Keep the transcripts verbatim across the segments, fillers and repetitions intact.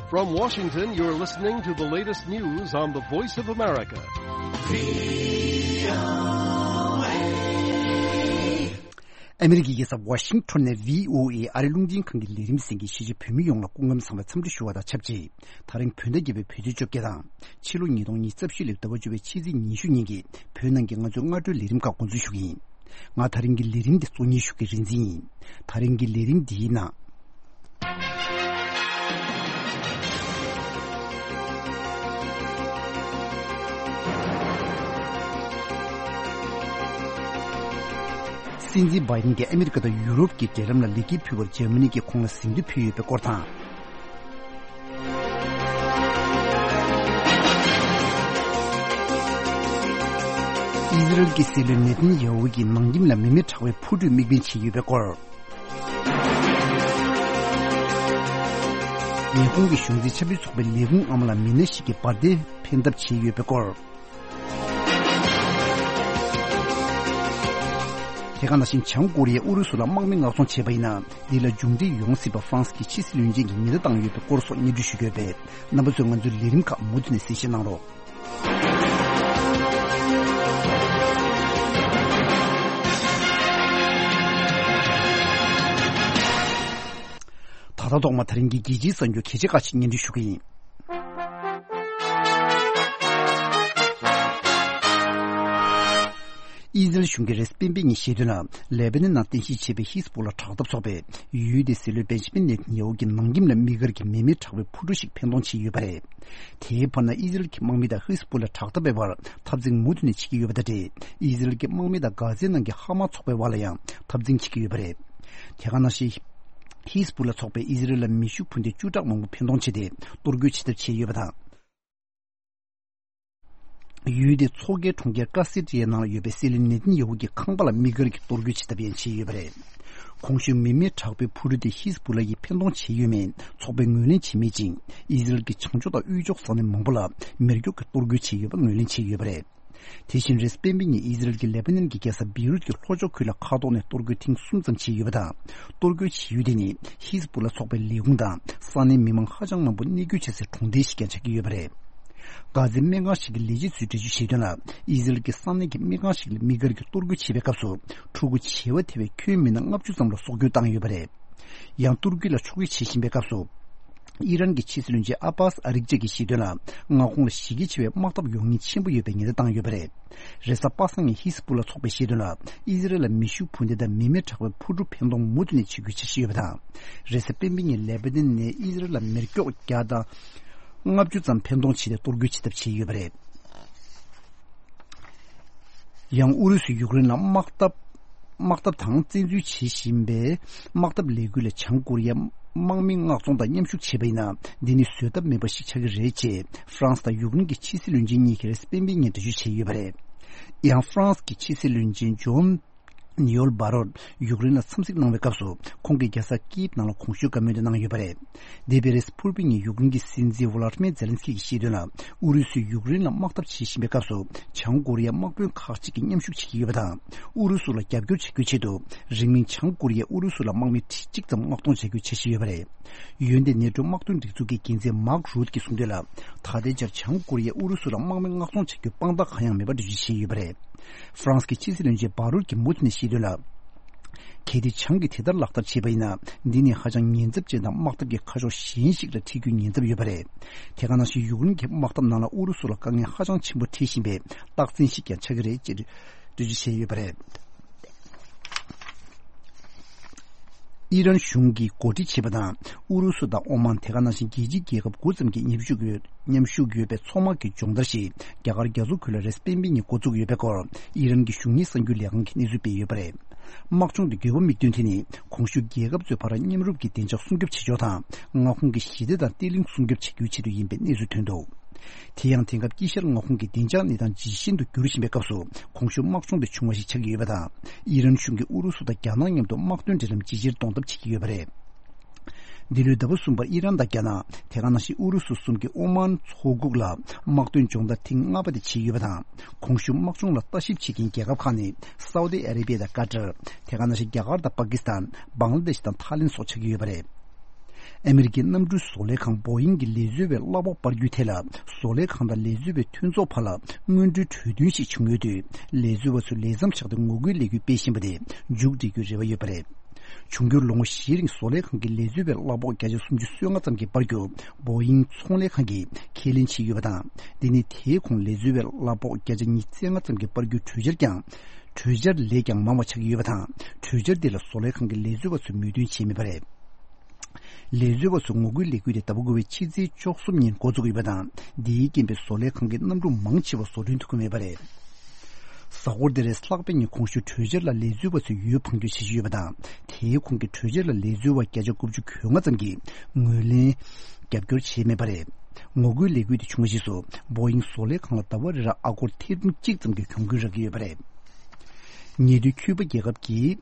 From Washington, you're listening to the latest news on the Voice of America. ཨ་མི་རི་ཀའི་རྒྱལ་ས་ཝ་ཤིང་ཊོན་ནས་བྷི་ཨོ་ཨེ་ཨ་རིའི་རླུང་འཕྲིན་ཁང་གི་ལས་རིམ་གསན་མཁན་ཤེས་བྱ་བོད་མི་ཡོངས་ལ་སྐུ་ཁམས་བཟང་བའི་འཚམས་འདྲི་ཞུ་བ་དང་ཆབས་ཅིག་ད་རིང་བོད་ཟླ་བརྒྱད་པའི་བོད་ཚེས་བཅོ་བརྒྱད་དང་ཕྱི་ལོ་ཉིས་སྟོང་ཉི་ཤུ་རྩ་བཞི་ལོའི་ཟླ་བ་བཅུ་པའི་ཕྱི་ཚེས་ཉི་ཤུ་ཉིན་གྱི་བོད་ནང་གི་ང་ཚོའི་སྔ་དྲོའི་ལས་རིམ་ཁག་འགོ་འཛུགས་ཞུ་གི་ཡིན། ང་ད་རིང་གི་ལས་རིམ་འདི་གཙོ་གཉེར་ཞུ་མཁན་རིག་འཛིན་ཡིན། ད་རིང་གི་ལས་རིམ་འདིའི་ནང་། སྲིད་འཛིན་བྷའི་ཌེན་གྱིས་ཨ་མི་རི་ཀ་དང་ཡུ་རོབ་ཀྱི་འབྲེལ་ལམ་ལ་ལེགས་སྐྱེས་ཕུལ་བར་འཇར་མ་ནི་གིས་ཁོང་ལ་གཟེངས་བསྟོད་ཕུལ་ཡོད་པའི་སྐོར་དང་། ཨི་ཟི་རལ་གྱི་སྲིད་བློན་ནེ་ཐན་ཡ་ཧུ་གྱིས་ནང་ཁྱིམ་ལ་མི་མེད་དྲག་པོའི་འཕུར་གྲུས་དམིགས་འབེན་བྱས་ཡོད་པའི་སྐོར། ཉི་ཧོང་གི་གཞུང་འཛིན་ཆབ་སྲིད་ཚོགས་པའི་ལས་ཁུངས་ཨ་མ་ལ་མི་སྣ་ཞིག་གིས་འབར་མདེལ་འཕེན་ཐབས་བྱས་ཡོད་པའི་སྐོར། དེ་ག་ནང་བཞིན་བྱང་ཀོ་རི་ཡས་ཨུ་རུ་སུ་ལ་དམག་མི་མངགས་ཚོང་བྱས་པ་ཡིན་ན། འདི་ལ་མཇུག་འབྲས་ཡོང་སྲིད་པ་ཧྥ་རན་སི་གི་ཕྱི་སྲིད་བློན་ཆེན་གྱིས་ཉེན་བརྡ་བཏང་ཡོད་པའི་སྐོར་སོགས་སྙན་སྒྲོན་ཞུ་གི་ཡོད་པས། རྣམ་པ་ཚོས་ང་ཚོའི་ལས་རིམ་ཁག་མུ་མཐུད་ནས་གསན་བཞེས་གནང་རོགས། ད་ལྟ་ཐོག་མ་ད་རིང་གི་རྒྱལ་སྤྱིའི་གསར་འགྱུར་གལ་ཆེ་ཁག་ཅིག་སྙན་སྒྲོན་ཞུ་གི་ཡིན། ཨི་ཟི་རལ་གཞུང་གིས་རེས་གཟའ་སྤེན་པའི་ཉིན་བཤད་དོན་ལ། ལེ་པ་ནན་ནང་རྟེན་གཞི་བྱས་པའི་ཧི་ཟ་བུ་ལ་དྲག་འཐབ་ཚོགས་པས་ཡུལ་དེའི་སྲིད་བློན་བེན་ཇ་མིན་ནེ་ཐན་ཡ་ཧུ་གྱི་ནང་ཁྱིམ་ལ་དམིགས་བཀར་གྱིས་མི་མེད་དྲག་པོའི་འཕུར་གྲུ་ཞིག་འཕེན་གཏོང་བྱས་ཡོད་པ་རེད། དེའི་བར་ན་ཨི་ཟི་རལ་གྱི་དམག་མི་དང་ཧི་ཟ་བུ་ལ་དྲག་འཐབ་པའི་བར་འཐབ་འཛིང་མུ་མཐུད་ནས་བྱེད་ཀྱི་ཡོད་པ་དང་འབྲེལ། ཨི་ཟི་རལ་གྱི་དམག་མི་དང་གྷ་ཛའི་ནང་གི་ཧ་མ་ཚོགས་པའི་བར་ལ་ཡང་འཐབ་འཛིང་བྱེད་ཀྱི་ཡོད་པ་རེད། དེ་ག་ནང་བཞིན། ཧི་ཟ་བུ་ལ་ཚོགས་པས་ཨི་ཟི་རལ་ལ་མེ་ཤུགས་འཕུར་མདེལ་བཅུ་ཕྲག་མང་པོ་འཕེན་གཏོང་བྱས་ཏེ་གཏོར་རྒོལ་བྱེད་ཐབས་བྱས་ཡོད་པ་དང་། ཡུལ་དེའི་མཚོ་ཁའི་གྲོང་ཁྱེར་ཀ་སི་ཏི་ཡའི་ནང་ལ་ཡོད་པའི་སྲིད་བློན་ནེ་ཐན་ཡ་ཧུ་གྱི་ཁང་པ་ལ་དམིགས་བཀར་གྱིས་གཏོར་རྒོལ་བྱེད་ཐབས་ཡང་བྱས་ཡོད་པ་རེད། གོང་ཞུས་མི་མེད་དྲག་པོའི་འཕུར་གྲུ་དེ་ཧི་ཟ་བུ་ལ་ཡིས་འཕེན་གཏོང་བྱས་ཡོད་མེད་ཚོགས་པས་ངོས་ལེན་བྱས་མེད་ཅིང་། ཨི་ཟི་རལ་གྱི་བྱང་ཕྱོགས་དང་དབུས་ཕྱོགས་ས་གནས་མང་པོ་ལ་མེ་སྒྱོགས་ཀྱིས་གཏོར་རྒོལ་བྱས་ཡོད་པ་ངོས་ལེན་བྱས་ཡོད་པ་རེད། དེ་བཞིན་རེས་གཟའ་སྤེན་པའི་ཉིན་ཨི་ཟི་རལ་གྱིས་ལེ་པ་ནན་གྱི་རྒྱལ་ས་བེ་རུད་ཀྱི་ལྷོ་ཕྱོགས་ཁུལ་ལ་མཁའ་ཐོག་ནས་གཏོར་རྒོལ་ཐེངས་གསུམ་ཙམ་བྱས་ཡོད་པ་དང་། གཏོར་རྒོལ་བྱེད་ཡུལ་དེ་ནི་ཧི་ཟ་བུ་ལ་ཚོགས་པའི་ལས་ཁུངས་དང་ས་གནས་མི་མང་ཧ་ཅང་མང་པོ་གནས་འཁོད་བྱེད་སའི་གྲོང་རྡལ་ཞིག་ཀྱང་ཆགས་ཀྱི་ཡོད་པ་རེད། གྷ་ཛའི་སྨན་ཁང་ཞིག་གི་ལས་བྱེད་ཚོས་འགྲེལ་བརྗོད་བྱས་དོན་ལ། ཨི་ཟི་རལ་གྱི་ས་གནས་ཀྱི་སྨན་ཁང་ཞིག་ལ་དམིགས་བཀར་གྱིས་གཏོར་རྒོལ་བྱས་པའི་སྐབས་སུ། ཕྲུ་གུ་བྱེ་བ་ཐེ་བའི་ཁྱོན་མི་སྣ་ལྔ་བཅུ་ཙམ་ལ་སྲོག་སྐྱོན་བཏང་ཡོད་པ་རེད། ཡང་གཏོར་རྒོལ་ལ་ཕྱོགས་སྒྲིག་བྱེད་བཞིན་པའི་སྐབས་སུ། ཨི་རན་གྱི་ཕྱི་སྲིད་བློན་ཆེན་ཨ་པཱས་ཨ་རིག་ཅེ་གིས་བཤད་དོན་ལ། མངའ་ཁོངས་ལ་གཞི་རྒྱ་ཆེ་བའི་དམག་འཐབ་ཡོང་ཉེན་ཆེན་པོ་ཡོད་པའི་ཉེན་བརྡ་བཏང་ཡོད་པ་རེད། རེས་གཟའ་པ་སངས་ཉིན་ཧི་ཟ་བུ་ལ་ཚོགས་པས་བཤད་དོན་ལ། ཨི་ཟི་རལ་ལ་མེ་ཤུགས་འཕུར་མདེལ་དང་མི་མེད་དྲག་པོའི་འཕུར་གྲུ་འཕེན་གཏོང་མུ་མཐུད་ནས་བྱེད་དགོས་འཆར་གཞི་ཡོད་པ་དང་། རེས་གཟའ་སྤེན་པའི་ཉིན་ལེ་པ་ནན་ནས་ཨི་ཟི་རལ་ལ་མེ་སྒྱོགས་བརྒྱ་དང་ལྔ་བཅུ་ཙམ་འཕེན་གཏོང་བྱས་ཏེ་གཏོར་རྒོལ་བྱེད་ཐབས་བྱས་ཡོད་པ་རེད། ཡང་ཨུ་རུ་སུས་ཡུཀ་རེན་ལ་དམག་འཐབ། དམག་འཐབ་དང་བཙན་འཛུལ་བྱེད་བཞིན་པའི་དམག་འཐབ་ལས་འགུལ་ལ་བྱང་ཀོ་རི་ཡའི་དམག་མི་མངགས་ཚོང་དང་མཉམ་ཞུགས་བྱས་པ་ཡིན་ན། འདི་ནི་བཟོད་ཐབས་མེད་པ་ཞིག་ཆགས་ཀྱི་རེད་ཅེས་ཧྥ་རན་སི་དང་ཡུཀ་རེན་གྱི་ཕྱི་སྲིད་བློན་ཆེན་གཉིས་ཀྱིས་རེས་གཟའ་སྤེན་པའི་ཉིན་འགྲེལ་བརྗོད་བྱས་ཡོད་པ་རེད། ཡང་ཧྥ་རན་སི་གི་ཕྱི་སྲིད་བློན་ཆེན་ཇོན་ནིའོལ་བྷ་རོད་ཡུཀ་རེན་ལ་འཚམས་གཟིགས་གནང་བའི་སྐབས་སུ། ཁོང་གིས་རྒྱལ་ས་ཀིབ་ནང་ལ་གོང་ཞུས་བཀའ་མོལ་དེ་གནང་ཡོད་པ་རེད། འདས་པའི་རེས་གཟའ་ཕུར་བུའི་ཉིན་ཡུཀ་རེན་གྱི་སྲིད་འཛིན་ཝོ་ལ་ཏི་མེར་ཛེ་ལན་སི་ཀི་གིས་བཤད་དོན་ལ། ཨུ་རུ་སུས་ཡུཀ་རེན་ལ་དམག་འཐབ་བྱེད་བཞིན་པའི་སྐབས་སུ། བྱང་ཀོ་རི་ཡའི་དམག་དཔོན་ཁག་ཅིག་གིས་མཉམ་ཞུགས་བྱེད་ཀྱི་ཡོད་པ་དང་། ཨུ་རུ་སུ་ལ་རྒྱབ་སྐྱོར་བྱེད་རྒྱུའི་ཆེད་དུ། རིང་མིན་བྱང་ཀོ་རི་ཡས་ཨུ་རུ་སུ་ལ་དམག་མི་ཁྲི་གཅིག་ཙམ་མངགས་གཏོང་བྱ་རྒྱུའི་འཆར་གཞི་ཡོད་པ་རེད། ཡོན་ཏན་ནེ་ཊོ་དམག་དོན་སྒྲིག་འཛུགས་ཀྱི་འགན་འཛིན་མཱག་རུད་ཀྱིས་གསུངས་དོན་ལ། ད་ལྟའི་ཆར་བྱང་ཀོ་རི་ཡས་ཨུ་རུ་སུ་ལ་དམག་མི་མངགས་གཏོང་བྱ་རྒྱུའི་དཔང་རྟགས་གང་ཡང་མེད་པ་འགྲེལ་བརྗོད་བྱས་ཡོད་པ་རེད། ཧྥ་རན་སི་གི་ཕྱི་སྲིད་བློན་ཆེན་བྷ་རུད་ཀྱིས་མུ་མཐུད་ནས་བཤད་དོན་ལ། གལ་ཏེ་བྱང་གིས་དེ་ལྟར་ལག་བསྟར་བྱས་པ་ཡིན་ན། འདི་ནི་ཧ་ཅང་ཉེན་ཚབས་ཅན་དང་དམག་འཐབ་ཀྱི་ཁ་ཕྱོགས་གཞན་ཞིག་ལ་འཁྲིད་རྒྱུའི་ཉེན་ཚབས་ཡོད་པ་རེད། དེ་ག་ནང་བཞིན་ཡུཀ་རེན་གྱི་དམག་འཐབ་ནང་ལ་ཨུ་རུ་སུ་ལ་དཀའ་ངལ་ཧ་ཅང་ཆེན་པོ་འཕྲད་བཞིན་པའི་རྟགས་མཚན་ཞིག་ཀྱང་ཆགས་ཀྱི་རེད་ཅེས་འགྲེལ་བརྗོད་བྱས་ཡོད་པ་རེད། ཨི་རན་གཞུང་གིས་གོ་སྒྲིག་བྱས་པ་དང་། ཨུ་རུ་སུ་དང་ཨོ་མཱན། དེ་ག་ནང་བཞིན་རྒྱལ་སྤྱིའི་རྒྱལ་ཁབ་དགུ་ཙམ་གྱིས་མཉམ་ཞུགས་ཡོད། མཉམ་ཞུགས་ཡོད་པའི་མཚོ་དམག་གི་སྦྱོང་བརྡར་ཞིག་རྒྱ་གར་རྒྱ་མཚོ་ཁུལ་ལ་རེས་གཟའ་སྤེན་པའི་ཉིན་འགོ་བཙུགས་ཡོད་པའི་སྐོར། ཨི་རན་གྱི་གཞུང་གཉེར་གསར་འགྱུར་ལས་ཁང་གིས་གནས་ཚུལ་སྤེལ་ཡོད་པ་རེད། དམག་སྦྱོང་དེ་དགོས་པ་དམིགས་དོན་དེ་ནི། གོང་ཞུས་རྒྱལ་ཁབ་ཚོའི་བར་མཉམ་རུབ་ཀྱི་བདེ་འཇགས་སྲུང་སྐྱོབ་བྱེད་ཕྱོགས་དང་། མངའ་ཁོངས་ཀྱི་ཞི་བདེ་དང་བརྟན་ལྷིང་སྲུང་སྐྱོབ་བྱེད་རྒྱུའི་ཆེད་དུ་ཡིན་པའི་གནས་ཚུལ་ཐོན་འདུག་དེ་ཡང་དེང་སྐབས་དཀྱིལ་ཤར་མངའ་ཁོངས་ཀྱི་བདེ་འཇགས་གནས་སྟངས་ཇེ་ཞན་དུ་འགྱུར་བཞིན་པའི་སྐབས་སུ། གོང་ཞུས་དམག་སྦྱོང་དེ་བྱུང་བ་ཞིག་ཆགས་ཀྱི་ཡོད་པ་དང་། ཨི་རན་གཞུང་གིས་ཨུ་རུ་སུ་དང་རྒྱ་ནག་མཉམ་དུ་དམག་དོན་འབྲེལ་ལམ་ཇེ་ཆེར་གཏོང་ཐབས་བྱེད་ཀྱི་ཡོད་པ་རེད། འདི་ལོའི་ཟླ་བ་གསུམ་པར་ཨི་རན་དང་རྒྱ་ནག་དེ་ག་ནང་བཞིན་ཨུ་རུ་སུ་གསུམ་གྱིས་ཨོ་མཱན་མཚོ་ཁུག་ལ་དམག་དོན་སྦྱོང་བརྡར་ཐེངས་ལྔ་པ་དེ་བྱས་ཡོད་པ་དང་། གོང་ཞུས་དམག་སྦྱོང་ལ་ལྟ་ཞིབ་བྱེད་མཁན་རྒྱལ་ཁབ་ཁག་ནི་སའུ་ཏི་ཨ་རེ་བྷི་ཡ་དང་ཀ་ཏར། དེ་ག་ནང་བཞིན་རྒྱ་གར་དང་པ་ཀི་སི་ཐན། བང་ལ་དེ་ཤི་དང་ཐའི་ལེན་སོགས་ཆགས་ཀྱི་ཡོད་པ་རེད། ཨ་མི་རི་ཀའི་གནམ་གྲུའི་བཟོ་ལས་ཁང་བོ་ཡིང་གི་ལས་བཟོ་བའི་གླ་ཕོགས་སྤར་རྒྱུའི་ཐད་ལ། བཟོ་ལས་ཁང་དང་ལས་བཟོ་བའི་མཐུན་ཚོགས་བར་ལ་སྔོན་འགྲོའི་གྲོས་མཐུན་ཞིག་བྱུང་ཡོད་དུས། ལས་བཟོ་བ་ཚོས་ལས་མཚམས་བཞག་སྟེ་ངོ་རྒོལ་ལས་འགུལ་སྤེལ་བཞིན་པ་དེ་མཇུག་སྒྲིལ་རྒྱུའི་རེ་བ་ཡོད་པ་རེད། འབྱུང་འགྱུར་ལོ་ངོ་བཞིའི་རིང་བཟོ་ལས་ཁང་གི་ལས་བཟོ་བའི་གླ་ཕོགས་བརྒྱ་ཆ་སུམ་ཅུ་སོ་ལྔ་ཙམ་གྱིས་སྤར་རྒྱུ་བོ་ཡིང་ཚོང་ལས་ཁང་གིས་ཁས་ལེན་བྱས་ཡོད་པ་དང་། འདི་ནི་དེའི་གོང་ལས་བཟོ་བའི་གླ་ཕོགས་བརྒྱ་ཆ་ཉི་ཤུ་རྩ་ལྔ་ཙམ་གྱིས་སྤར་རྒྱུའི་གྲོས་འཆར་ཀྱང་། གྲོས་འཆར་ལས་ཀྱང་མང་བ་ཆགས་ཀྱི་ཡོད་པ་དང་། གྲོས་འཆར་འདི་ལ་བཟོ་ལས་ཁང་གི་ལས་བཟོ་བ་ཚོས་མོས་མཐུན་བྱས་མེད་པ་རེད། ལས་བཟོ་བ་ཚོས་ངོ་རྒོལ་ལས་འགུལ་དེ་ཟླ་བ་དགུ་པའི་ཕྱི་ཚེས་བཅུ་གསུམ་ཉིན་འགོ་འཛུགས་ཡོད་པ་དང་། འདིའི་རྐྱེན་པས་བཟོ་ལས་ཁང་གི་གནམ་གྲུ་མང་ཆེ་བ་བཟོ་སྐྲུན་ཐུབ་ཀྱི་མེད་པ་རེད། གཟའ་འཁོར་འདིར་ལྷག་པའི་ཉིན་གོང་ཞུས་གྲོས་འཆར་ལ་ལས་བཟོ་བ་ཚོས་འོས་འཕང་རྒྱུ་བྱེད་བཞིན་ཡོད་པ་དང་། དེའི་ཁོངས་ཀྱི་གྲོས་འཆར་ལ་ལས་བཟོ་བ་བརྒྱ་ཆ་དགུ་བཅུ་གོ་ལྔ་ཙམ་གྱིས་ངོས་ལེན་རྒྱབ་སྐྱོར་བྱས་མེད་པ་རེད། ངོ་རྒོལ་ལས་འགུལ་དེ་བྱུང་བ་རྗེས་སུ་བོ་ཡིང་བཟོ་ལས་ཁང་ལ་ཟླ་བ་རེ་ར་ཨ་སྒོར་ཐེར་འབུམ་གཅིག་ཙམ་གྱི་གྱོང་གུན་རག་གི་ཡོད་པ་རེད། ཉེ་དུས་ཁྱུ་པ་རྒྱལ་ཁབ་ཀྱི་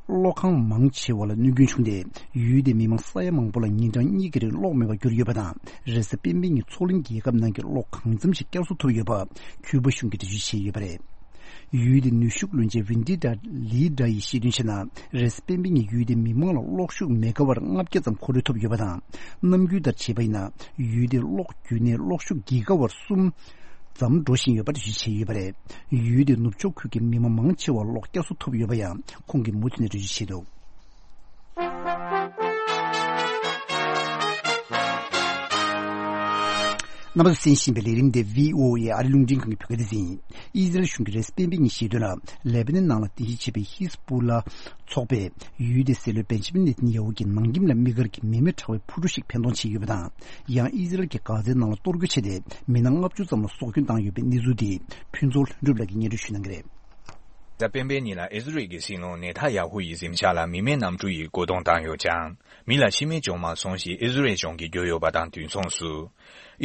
གློག་ཁང་མང་ཆེ་བ་ལ་གནོད་སྐྱོན་བྱུང་སྟེ། ཡུལ་དེའི་མི་མང་ས་ཡ་མང་པོ་ལ་ཉིན་གྲངས་གཉིས་ཀྱི་རིང་གློག་མེད་པར་གྱུར་ཡོད་པ་དང་། རེས་གཟའ་སྤེན་པའི་ཉིན་མཚོ་གླིང་རྒྱལ་ཁབ་ནང་གི་གློག་གང་འཚམ་ཞིག་བསྐྱར་གསོ་ཐུབ་ཡོད་པ་ཁྱུ་པ་གཞུང་གིས་འགྲེལ་བརྗོད་བྱས་ཡོད་པ་རེད། ཡུལ་དེའི་ནུས་ཤུགས་བློན་ཆེན་ཝིན་ཏི་ཏྲ་ལི་ཏྲ་ཡིས་བཤད་དོན་བྱས་ན། རེས་གཟའ་སྤེན་པའི་ཉིན་ཡུལ་དེའི་མི་མང་ལ་གློག་ཤུགས་མེ་ག་ཝར་ལྔ་བརྒྱ་ཙམ་མཁོ་སྤྲོད་ཐུབ་ཡོད་པ་དང་། ནམ་རྒྱུན་ལྟར་བྱས་པ་ཡིན་ན། ཡུལ་དེའི་གློག་རྒྱུན་ནས་གློག་ཤུགས་གི་ག་ཝར་གསུམ་ཙམ་འགྲོ་བཞིན་ཡོད་པ་འགྲེལ་བརྗོད་བྱས་ཡོད་པ་རེད། ཡུལ་དེའི་ནུབ་ཕྱོགས་ཁུལ་གྱི་མི་མང་མང་ཆེ་བར་གློག་བསྐྱར་གསོ་ཐུབ་ཡོད་པ་ཡང་ཁོང་གིས་མུ་མཐུད་ནས་འགྲེལ་བརྗོད་བྱས་འདུག་རྣམ་པ་ཚོས་གསན་བཞིན་པའི་ལས་རིམ་དེ་བྷི་ཨོ་ཨེ་ཨ་རི་རླུང་འཕྲིན་ཁང་གི་བོད་སྐད་སྡེ་ཚན་ཡིན། ཨི་ཟི་རལ་གཞུང་གིས་རེས་གཟའ་སྤེན་པའི་ཉིན་བཤད་དོན་ལ། ལེ་པ་ནན་ནང་ལ་རྟེན་གཞི་བྱས་པའི་ཧི་ཟ་བུ་ལ་ཚོགས་པས། ཡུལ་དེའི་སྲིད་བློན་བེན་ཇ་མིན་ནེ་ཐན་ཡ་ཧུ་གྱི་ནང་ཁྱིམ་ལ་དམིགས་བཀར་གྱི་མི་མེ་ཕྲ་བའི་འཕུར་གྲུ་ཞིག་འཕེན་གཏོང་བྱས་ཡོད་པ་དང་། ཡང་ཨི་ཟི་རལ་གྱིས་གྷ་ཛའི་ནང་ལ་གཏོར་རྒོལ་བྱས་ཏེ། མི་སྣ་ལྔ་བཅུ་ཙམ་ལ་སྲོག་སྐྱོན་བཏང་ཡོད་པའི་གནས་ཚུལ་དེ་ཕུན་ཚོགས་ལྷུན་གྲུབ་ལགས་ཀྱིས་སྙན་སྒྲོན་ཞུ་གནང་གི་རེད། རེས་གཟའ་སྤེན་པའི་ཉིན་ལ་ཨི་ཟི་རལ་གྱི་སྲིད་བློན་ནེ་ཐ་ཡ་ཧུ་ཡི་གཟིམ་ཤག་ལ་མི་མེ་གནམ་གྲུ་ཡིས་རྒོལ་རྡུང་བཏང་ཡོད་ཀྱང་། མི་ལ་ཤི་རྨས་བྱུང་མ་སོང་ཞེས་ཨི་ཟི་རལ་གཞུང་གིས་བརྗོད་ཡོད་པ་དང་། དུས་མཚུངས་སུ།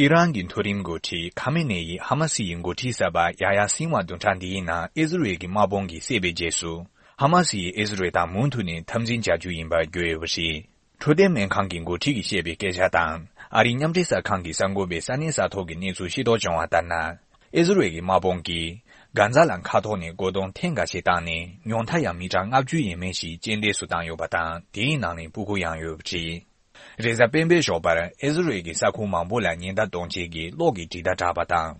ཨི་རན་གྱི་མཐོ་རིམ་འགོ་ཁྲིད་ཁ་མེ་ནེ་ཡིས་ཧ་མ་སི་ཡི་འགོ་ཁྲིད་གསར་པ་ཡ་ཡ་སིན་ཝ་བདུན་ཕྲག་འདིའི་ནང་ཨི་ཟི་རལ་གྱི་དམག་དཔུང་གིས་བསད་པའི་རྗེས་སུ། ཧ་མ་སི་ཡིས་ཨི་ཟི་རལ་དང་མུ་མཐུད་ནས་འཐབ་འཛིང་བྱ་རྒྱུ་ཡིན་པར་བརྗོད་ཡོད་པ་རེད། འཕྲོད་བསྟེན་སྨན་ཁང་གི་འགོ་ཁྲིད་ཀྱིས་བཤད་པའི་སྐད་ཆ་དང་། ཨ་རིའི་མཉམ་འབྲེལ་གསར་ཁང་གི་གསར་འགོད་པས་ས་གནས་ས་ཐོག་གི་གནས་ཚུལ་ཤེས་རྟོགས་བྱུང་བ་ལྟར་ན། ཨི་ཟི་རལ་གྱི་དམག་དཔུང་གིས་གྷ་ཛ་ལ་མཁའ་ཐོག་ནས་རྒོལ་རྡུང་ཐེངས་འགའ་ཞིག་བཏང་ནས། ཉུང་མཐའ་ཡང་མི་གྲངས་ལྔ་བཅུ་ཡས་མས་ཤིག་རྐྱེན་འདས་སུ་བཏང་ཡོད་པ་དང་། དེའི་ནང་ནས་སྤུ་གུ་ཡང་ཡོད་པ་རེད། རེས་གཟའ་སྤེན་པའི་ཞོགས་པར་ཨི་ཟི་རལ་གྱི་ས་ཁུལ་མང་པོ་ལ་ཉེན་བརྡ་གཏོང་བྱེད་ཀྱི་གློག་གི་འབྲི་ཐག་དྲག་པ་དང་།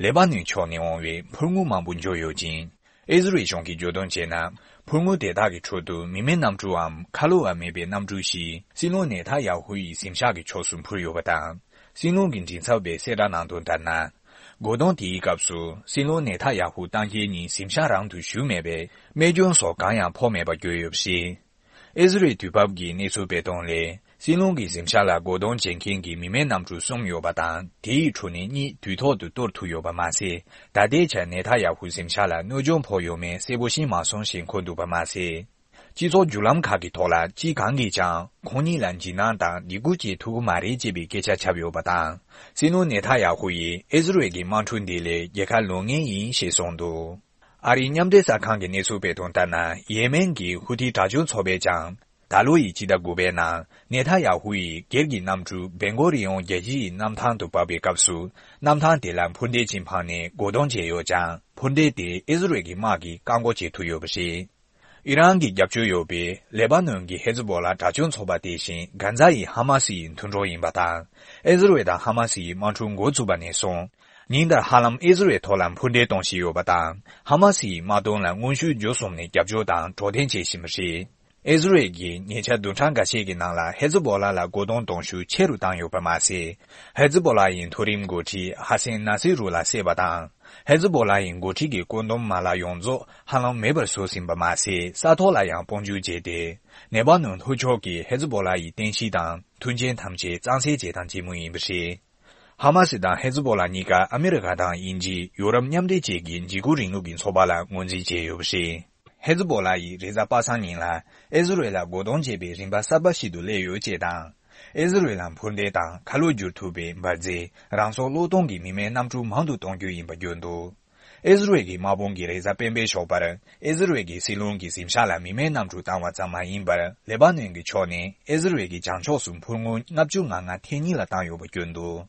ལེ་པ་ནོན་ཕྱོགས་ནས་འོང་བའི་འཕུར་དངོས་མང་པོ་འབྱོར་ཡོད་ཅིང་། ཨི་ཟི་རལ་གཞུང་གིས་བརྗོད་དོན་བྱས་ན། འཕུར་དངོས་དེ་དག་གི་ཁྲོད་དུ་མི་མེད་གནམ་གྲུའམ་ཁ་ལོ་བ་མེད་པའི་གནམ་གྲུ་ཞིག་སྲིད་བློན་ནེ་ཐ་ཡ་ཧུ་ཡི་གཟིམ་ཤག་གི་ཕྱོགས་སུ་འཕུར་ཡོད་པ་དང་། སྲིད་བློན་གྱི་མགྲིན་ཚབ་པས་གསལ་བསྒྲགས་གནང་དོན་ལྟར་ན། རྒོལ་རྡུང་དེའི་སྐབས་སུ་སྲིད་བློན་ནེ་ཐ་ཡ་ཧུ་ལྟ་མཁན་གཉིས་གཟིམ་ཤག་རང་དུ་བཞུགས་མེད་པས། རྨས་སྐྱོན་སོགས་གང་ཡང་ཕོག་མེད་པ་བརྗོད་ཡོད་པ་རེད། ཨི་ཟི་རལ་དུས་བབ་ཀྱིས་གནས་ཚུལ་སྤེལ་དོན་ལས། སྲིད་བློན་གྱི་གཟིམ་ཤག་ལ་རྒོལ་རྡུང་བྱེད་མཁན་གྱི་མི་མེད་གནམ་གྲུ་གསུམ་ཡོད་པ་དང་། དེའི་ཁྲོད་ནས་གཉིས་དུས་ཐོག་ཏུ་གཏོར་ཐུབ་ཡོད་པ་མ་ཟད། ད་ལྟའི་ཆར་ནེ་ཐ་ཡ་ཧུ་གཟིམ་ཤག་ལ་གནོད་སྐྱོན་ཕོག་ཡོད་མེད་གསལ་པོ་ཤེས་མ་སོང་ཞེས་འཁོད་འདུག་པ་མ་ཟད། སྤྱི་ཚོགས་བརྒྱུད་ལམ་ཁག་གི་ཐོག་ལ་སྤྱི་གང་གིས་ཀྱང་ཁོང་གཉིས་ལ་འཇིགས་སྣང་དང་སྡིགས་སྐུལ་བྱེད་ཐུབ་ཀྱི་མ་རེད་ཅེས་པའི་སྐད་ཆ་ཁྱབ་ཡོད་པ་དང་། སྲིད་བློན་ནེ་ཐ་ཡ་ཧུ་ཡིས་ཨི་ཟི་རལ་གྱི་དམག་འཁྲུག་འདི་ལས་རྒྱལ་ཁ་ལོན་ངེས་ཡིན་ཞེས་གསུངས་འདུག་ཨ་རིའི་མཉམ་འབྲེལ་གསར་ཁང་གི་གནས་ཚུལ་སྤེལ་དོན་ལྟར་ན། ཡེ་མེན་གྱི་ཧུ་ཐི་དྲག་སྤྱོད་ཚོགས་པས་ཀྱང་། ད་ལོ་ཡི་སྤྱི་ཟླ་དགུ་པའི་ནང་ནེ་ཐ་ཡ་ཧུ་ཡིས་སྒེར་གྱི་གནམ་གྲུ་བེན་གོ་རི་ཡོན་རྒྱལ་སྤྱི་ཡི་གནམ་ཐང་དུ་བབས་པའི་སྐབས་སུ། གནམ་ཐང་དེ་ལ་འཕུར་མདེལ་ཅིག་འཕངས་ནས་རྒོལ་རྡུང་བྱས་ཡོད་ཀྱང་། འཕུར་མདེལ་དེ་ཨི་ཟི་རལ་གྱི་དམག་གིས་བཀག་འགོག་བྱེད་ཐུབ་ཡོད་པ་རེད། ཨི་རན་གྱི་རྒྱབ་སྐྱོར་ཡོད་པའི་ལེ་པ་ནོན་གྱི་ཧེ་ཛི་བོ་ལ་དྲག་སྤྱོད་ཚོགས་པ་དེ་བཞིན་གྷ་ཛ་ཡི་ཧ་མ་སི་ཡི་མཐུན་གྲོགས་ཡིན་པ་དང་། ཨི་ཟི་རལ་དང་ཧ་མ་སི་ཡི་དམག་འཁྲུག་འགོ་བཙུགས་པ་ནས་བཟུང་། ཉིན་ལྟར་ཧ་ལམ་ཨི་ཟི་རལ་ཐོག་ལ་འཕུར་མདེལ་གཏོང་བཞིན་ཡོད་པ་དང་། ཧ་མ་སི་ཡི་དམག་དོན་ལ་མངོན་ཤུགས་བརྒྱུད་གསུམ་ནས་རྒྱབ་སྐྱོར་དང་གྲོགས་དན་བྱེད་བཞིན་པ་རེད། ཨི་ཟི་རལ་གྱིས་ཉེ་ཆར་བདུན་ཕྲག་འགའ་ཤས་ཀྱི་ནང་ལ་ཧེ་ཛི་བོ་ལ་ལ་རྒོལ་རྡུང་གཏོང་ཤུགས་ཆེ་རུ་བཏང་ཡོད་པ་མ་ཟད། ཧེ་ཛི་བོ་ལ་ཡི་མཐོ་རིམ་འགོ་ཁྲིད་ཧ་སན་ན་སི་རུ་ལ་བསད་པ་དང་། ཧེ་ཛི་བོ་ལ་ཡི་འགོ་ཁྲིད་ཀྱི་བཀོད་འདོམས་མ་ལག་ཡོངས་རྫོགས་ཧ་ལམ་མེད་པར་བཟོས་ཟིན་པ་མ་ཟད། ས་ཐོག་ལ་ཡང་དཔུང་འཇུག་བྱས་ཏེ། ནེ་པ་ནོན་ལྷོ་ཕྱོགས་ཀྱི་ཧེ་ཛི་བོ་ལ་ཡི་རྟེན་གཞི་དང་མཐུན་རྐྱེན་ཐམས་ཅད་གཙང་སེལ་བྱེད་སྟངས་ཇི་མོ་ཡིན་པ་རེད། ཧ་མ་སི་དང་ཧེ་ཛི་བོ་ལ་གཉིས་ཀ་ཨ་མི་རི་ཀ་དང་དབྱིན་ཇི། ཡོ་རོབ་མཉམ་འབྲེལ་བཅས་ཀྱི་འཇིགས་སྐུལ་རིང་ལུགས་ཀྱི་ཚོགས་པ་ལ་ངོས་འཛིན་བྱས་ཡོད་པ་རེད། ཧེ་ཛི་བོ་ལ་ཡིས་རེས་གཟའ་པ་སངས་ཉིན་ལ་ཨི་ཟི་རལ་ལ་རྒོལ་རྡུང་བྱེད་པའི་རིམ་པ་གསར་པ་ཞིག་ཏུ་སླེབས་ཡོད་ཅེས་དང་། ཨི་ཟི་རལ་ལ་འཕུར་མདེལ་དང་ཁ་ལོ་བསྒྱུར་ཐུབ་པའི་འབར་རྫས། རང་སྲོག་བློས་གཏོང་གི་མི་མེད་གནམ་གྲུ་མང་དུ་གཏོང་རྒྱུ་ཡིན་པ་བརྗོད་འདུག་ཨི་ཟི་རལ་གྱི་དམག་དཔུང་གིས་རེས་གཟའ་སྤེན་པའི་ཞོགས་པར་ཨི་ཟི་རལ་གྱི་སྲིད་བློན་གྱི་གཟིམ་ཤག་ལ་མི་མེད་གནམ་གྲུ་བཏང་བ་ཙམ་མ་ཡིན་པར། ལེ་པ་ནོན་གྱི་ཕྱོགས་ནས་ཨི་ཟི་རལ་གྱི་བྱང་ཕྱོགས་སུ་འཕུར་དངོས་ལྔ་བཅུ་ང་ལྔ་ཐེངས་གཉིས་ལ་བཏང་ཡོད་པ་བརྗོད་འདུག་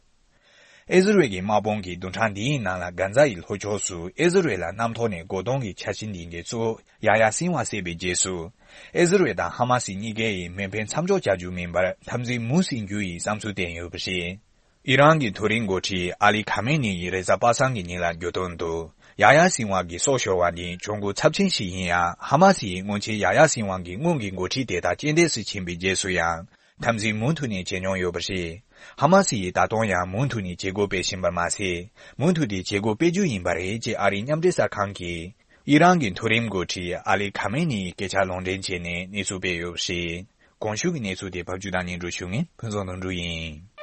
ཨི་ཟི་རེལ་གྱི་དམག་དཔུང་གི་བདུན་ཕྲག་འདིའི་ནང་ལ་གྷ་ཛ་ཡི་ལྷོ་ཕྱོགས་སུ་ཨི་ཟི་རེལ་ལ་གནམ་ཐོག་ནས་རྒོལ་རྡུང་གི་འཆར་གཞི་འདི་འགོ་བཙུགས། ཡ་ཡ་སིན་ཝ་བསད་པའི་རྗེས་སུ། ཨི་ཟི་རེལ་དང་ཧ་མ་སི་གཉིས་ཀ་ཡིས་མེ་འཕེན་མཚམས་འཇོག་བྱ་རྒྱུ་མིན་པར་འཐབ་འཛིང་མུ་མཐུད་རྒྱུ་ཡི་བསམ་ཚུལ་བསྟན་ཡོད་པ་རེད། ཨི་རན་གྱི་མཐོ་རིམ་འགོ་ཁྲིད་ཨ་ལི་ཁ་མེ་ནི་ཡིས་རེས་གཟའ་པ་སངས་ཀྱི་ཉིན་ལ་བརྗོད་དོན་དུ། ཡ་ཡ་སིན་ཝ་གི་སྲོག་ཤོར་བ་ནི་གྱོང་གུད་ཚབས་ཆེན་ཞིག་ཡིན་ཡང་། ཧ་མ་སི་ཡིས་སྔོན་ཆད་ཡ་ཡ་སིན་ཝ་གི་སྔོན་གྱི་འགོ་ཁྲིད་དེ་དག་རྐྱེན་འདས་སུ་ཕྱིན་པའི་རྗེས་སུ་ཡང་། འཐབ་འཛིང་མུ་མཐུད་ནས་བྱེད་མྱོང་ཡོད་པ་རེད། ཧ་མ་སི་ཡིས་ད་དུང་ཡང་མུ་མཐུད་ནས་བྱེད་སྒོ་སྤེལ་བཞིན་པར་མ་ཟད། མུ་མཐུད་དེ་བྱེད་སྒོ་སྤེལ་རྒྱུ་ཡིན་པ་རེད་ཅེས་ཨ་རིའི་མཉམ་འབྲེལ་གསར་ཁང་གིས། ཨི་རན་གྱི་མཐོ་རིམ་འགོ་ཁྲིད་ཨ་ལི་ཁ་མེ་ནི་ཡི་སྐད་ཆ་ལུང་འདྲེན་བྱས་ནས་གནས་ཚུལ་སྤེལ་ཡོད་པ་རེད། གོང་ཞུས་ཀྱི་གནས་ཚུལ་དེ་ཕབ་སྒྱུར་དང་སྙན་སྒྲོན་ཞུ་མཁན་ཕུན་ཚོགས་དོན་གྲུབ་ཡིན།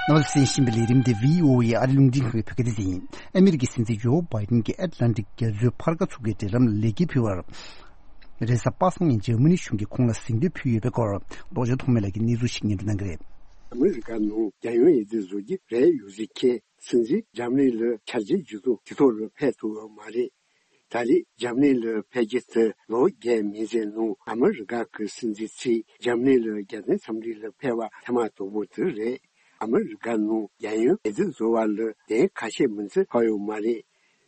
རྣམ་པ་ཚོས་གསན་བཞིན་པའི་ལས་རིམ་དེ་བྷི་ཨོ་ཨེ་ཨ་རིའི་རླུང་འཕྲིན་ཁང་གི་བོད་སྐད་སྡེ་ཚན་ཡིན། ཨ་མི་རི་ཀའི་སྲིད་འཛིན་ཇོ་བྷའི་ཌེན་གྱིས་ཨེཊ་ལན་ཊིག་རྒྱ་མཚོའི་ཕར་ཁ་ཚུགས་ཀྱི་འབྲེལ་ལམ་ལ་ལེགས་སྐྱེས་ཕུལ་བར། རེས་གཟའ་པ་སངས་ཉིན་འཇར་མ་ནི་གཞུང་གིས་ཁོང་ལ་གཟེངས་བསྟོད་ཕུལ་ཡོད་པའི་སྐོར། རྡོ་རྗེ་ཐོགས་མེད་ལགས་ཀྱིས་གནས་ཚུལ་ཞིག་སྙན་སྒྲོན་གནང་གི་རེད། ཨ་མི་རི་ཀ་ནང་རྒྱལ་ཡོངས་འོས་བསྡུ་བཟོ་རྒྱུ་རེད་ཡོད་ཟེར་མཁན་སྲིད་འཛིན་འཇར་མ་ནི་ལ་ཆ་རྐྱེན་ཇི་བཟུང་དེ་ཐོག་ལ་ཕེབས་ཐུབ་ཡོད་མ་རེད། ད་རེས་འཇར་མ་ནི་ལ་ཕེབས་རྒྱུ་དེ་ལོ་བརྒྱད་མན་ཙམ་ནང་ཨ་མི་རི་ཀ་གི་སྲིད་འཛིན་ཚོས་འཇར་མ་ནི་ལ་རྒྱལ་བསྟན་འཚམས་འདྲི་ལ་ཕེབས་པ་ཐེངས་མ་དང་པོ་དེ་རེད། ཨ་མི་རི་ཀ་ནང་རྒྱལ་ཡོངས་འོས་བསྡུ་བཟོ་བ་ལ་གདན་ཁ་ཤས་མིན་ཙམ་ཕབ་ཡོད་མ་རེད།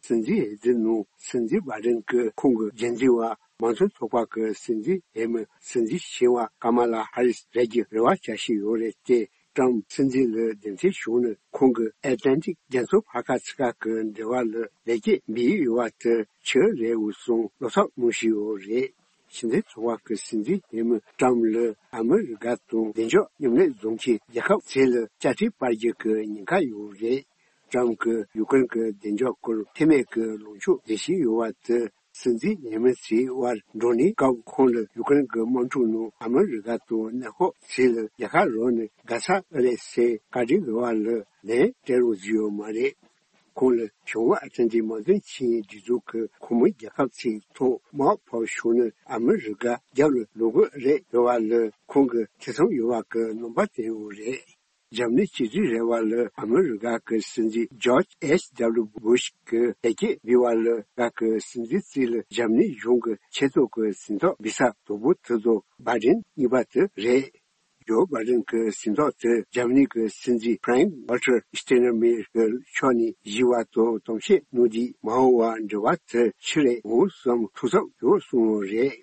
སྲིད་འཛིན་འོས་བསྡུ་ནང་སྲིད་འཛིན་བྷའི་ཌེན་གྱིས་ཁོང་གི་རྒྱུན་འཛིན་པ་མང་གཙོ་ཚོགས་པ་གི་སྲིད་འཛིན་འོས་མི་སྲིད་འཛིན་གཞོན་པ་ཀ་མ་ལ་ཧ་རིས་རེད་རྒྱུ་རེ་བ་བྱ་བཞིན་ཡོད་རེད་དེ། ཀྲམ་སྲིད་འཛིན་ལ་གདན་འདྲེན་བྱུང་ནས་ཁོང་གིས་ཨེཊ་ལན་ཊིག་རྒྱ་མཚོ་ཕར་ཁ་ཚུར་ཁ་གི་འབྲེལ་བ་ལ་ལེགས་སྐྱེས་འབུལ་ཡོད་པ་དེ་ཆེ་རེད་འོས་སོང་བློ་འཚབ་གནང་བཞིན་ཡོད་རེད། ཕྱི་འབྲེལ་ཚོགས་པ་གི་སྲིད་འཛིན་འོས་མི་ཀྲམ་ལ་ཨ་མི་རི་ཀ་དང་བདེ་འཇགས་མཉམ་ལས་བཟོ་མཁན་རྒྱལ་ཁབ་ཚོ་ལ་དཔྱ་ཁྲལ་སྤར་རྒྱུ་གི་ཉེན་ཁ་ཡོད་རེད། ཀྲམ་གྱིས་ཡུ་ཀེ་རེན་གྱི་བདེ་འཇགས་སྐོར་འཐུས་མི་གི་ལངས་ཕྱོགས་འཛིན་བཞིན་ཡོད་པ་དེ། སྲིད་འཛིན་འོས་མི་ཚོའི་དབར་བགྲོ་གླེང་སྐབས་ཁོང་ལ་ཡུ་ཀེ་རེན་གྱི་དམག་འཁྲུག་ནང་ཨ་མི་རི་ཀ་དང་གནས་སྐབས་ཚོ་ལ་རྒྱལ་ཁ་རག་ནས་དགའ་ས་ཨེ་རེད་ཟེར་བཀའ་འདྲི་འདྲ་བ་ལ་ལན་སྤྲད་རོགས་བཟོས་ཡོད་མ་རེད། ཁོང་ལ་བྱང་ཨ་ཊ་ལན་ཊིག་མོས་མཐུན་ཆིངས་ཡིག་སྒྲིག་འཛུགས་ཀྱི་ཁོངས་མི་རྒྱལ་ཁབ་ཚོའི་ཐོག་དམག་ཕབ་བྱུང་ན་ཨ་མི་རི་ཀ་རྒྱབ་ལ་ལོག་གི་རེད་འདྲ་བ་ལ་ཁོང་གིས་ཐེ་ཚོམ་ཡོད་པ་གི་རྣམ་པ་བསྟན་ཡོད་རེད། འཇར་མ་ནི་སྤྱི་འཐུས་རེ་བ་ལ་ཨ་མི་རི་ཀ་གི་སྲིད་འཛིན་ཇོརྗ་ཨེཆ་ཌབ་ལུ་བྷུ་ཤ་གིས་ལེགས་སྐྱེས་འབུལ་བ་ལ་རྒྱ་གར་གྱི་སྲིད་འཛིན་རྩིས་ལ་འཇར་མ་ནི་གཞུང་གི་ཆེས་མཐོ་གི་གཟེངས་རྟགས་འབུལ་ས་དང་པོ་དེ་ཚོ་བྷའི་ཌེན་གཉིས་པ་དེ་རེད། ཇོ་བྷའི་ཌེན་གྱི་གཟེངས་རྟགས་དེ་འཇར་མ་ནི་གི་སྲིད་འཛིན་ཕ་རེང་ཝལ་ཊར་སྟེན་མེ་ཡར་གྱི་ཕྱོགས་ནས་བཞེས་པ་དང་གཏམ་བཤད་གནང་དུས་མ་འོངས་པར་འབྲེལ་བ་དེ་ཆེ་རེ་འོང་བསམ་ཐུགས་འཚབ་ཡོད་གསུངས་ཡོད་རེད།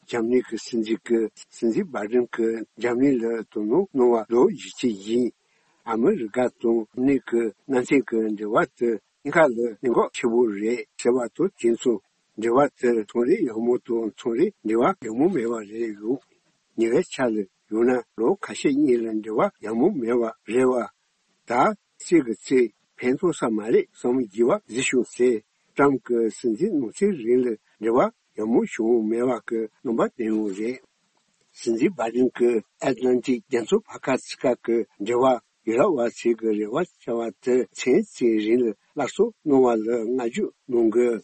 འཇར་མ་ནི་གི་སྲིད་འཛིན་གྱིས་སྲིད་འཛིན་བྷའི་ཌེན་གྱིས་འཇར་མ་ནི་ལ་དོ་སྣང་གནང་བ་ལོ་བཞི་བཅུ་ཡིན། ཨ་མི་རི་ཀ་དང་འཇར་མ་ནི་གི་མནའ་མཐུན་གྱི་འབྲེལ་བ་དེ་གཉིས་ཀ་ལ་གནད་འགག་ཆེ་པོ་རེད་ཟེར་བ་དང་དེ་མཚུངས་འབྲེལ་བ་དེ་ཚོང་རའི་ཡག་མོ་དང་ཚོང་རའི་འབྲེལ་བ་ཡག་མོ་མེད་པ་རེད་ཡོད། ཉེ་བའི་ཆར་ལ་ཡང་ན་ལོ་ཁ་ཤས་གཉིས་ལ་འབྲེལ་བ་ཡག་མོ་མེད་པ་རེད་བ། ད་རྩིས་ཀྱི་རྩིས་ཕན་ཐོགས་ས་མ་རེད་བསམ་གྱི་བ་གཟིགས་བྱུང་ཟེར། ཀྲམ་གྱི་སྲིད་འཛིན་ནང་ཚན་རིང་ལ་འབྲེལ་བ་ཡག་མོ་བྱུང་མེད་པ་གི་རྣམ་པ་བསྟན་ཡོད་རེད། སྲིད་འཛིན་བྷའི་ཌེན་གྱིས་ཨེཊ་ལན་ཊིག་རྒྱ་མཚོ་ཕར་ཁ་ཚུར་ཁ་གི་འབྲེལ་བ་ཡུ་རོབ་པ་ཚོས་ཀྱི་རེ་བ་བྱ་བ་དེ་མཚན་ཚིག་རིང་ལ་སླར་གསོ་གནང་བ་ལ་བསྔགས་བརྗོད་གནང་དགོས།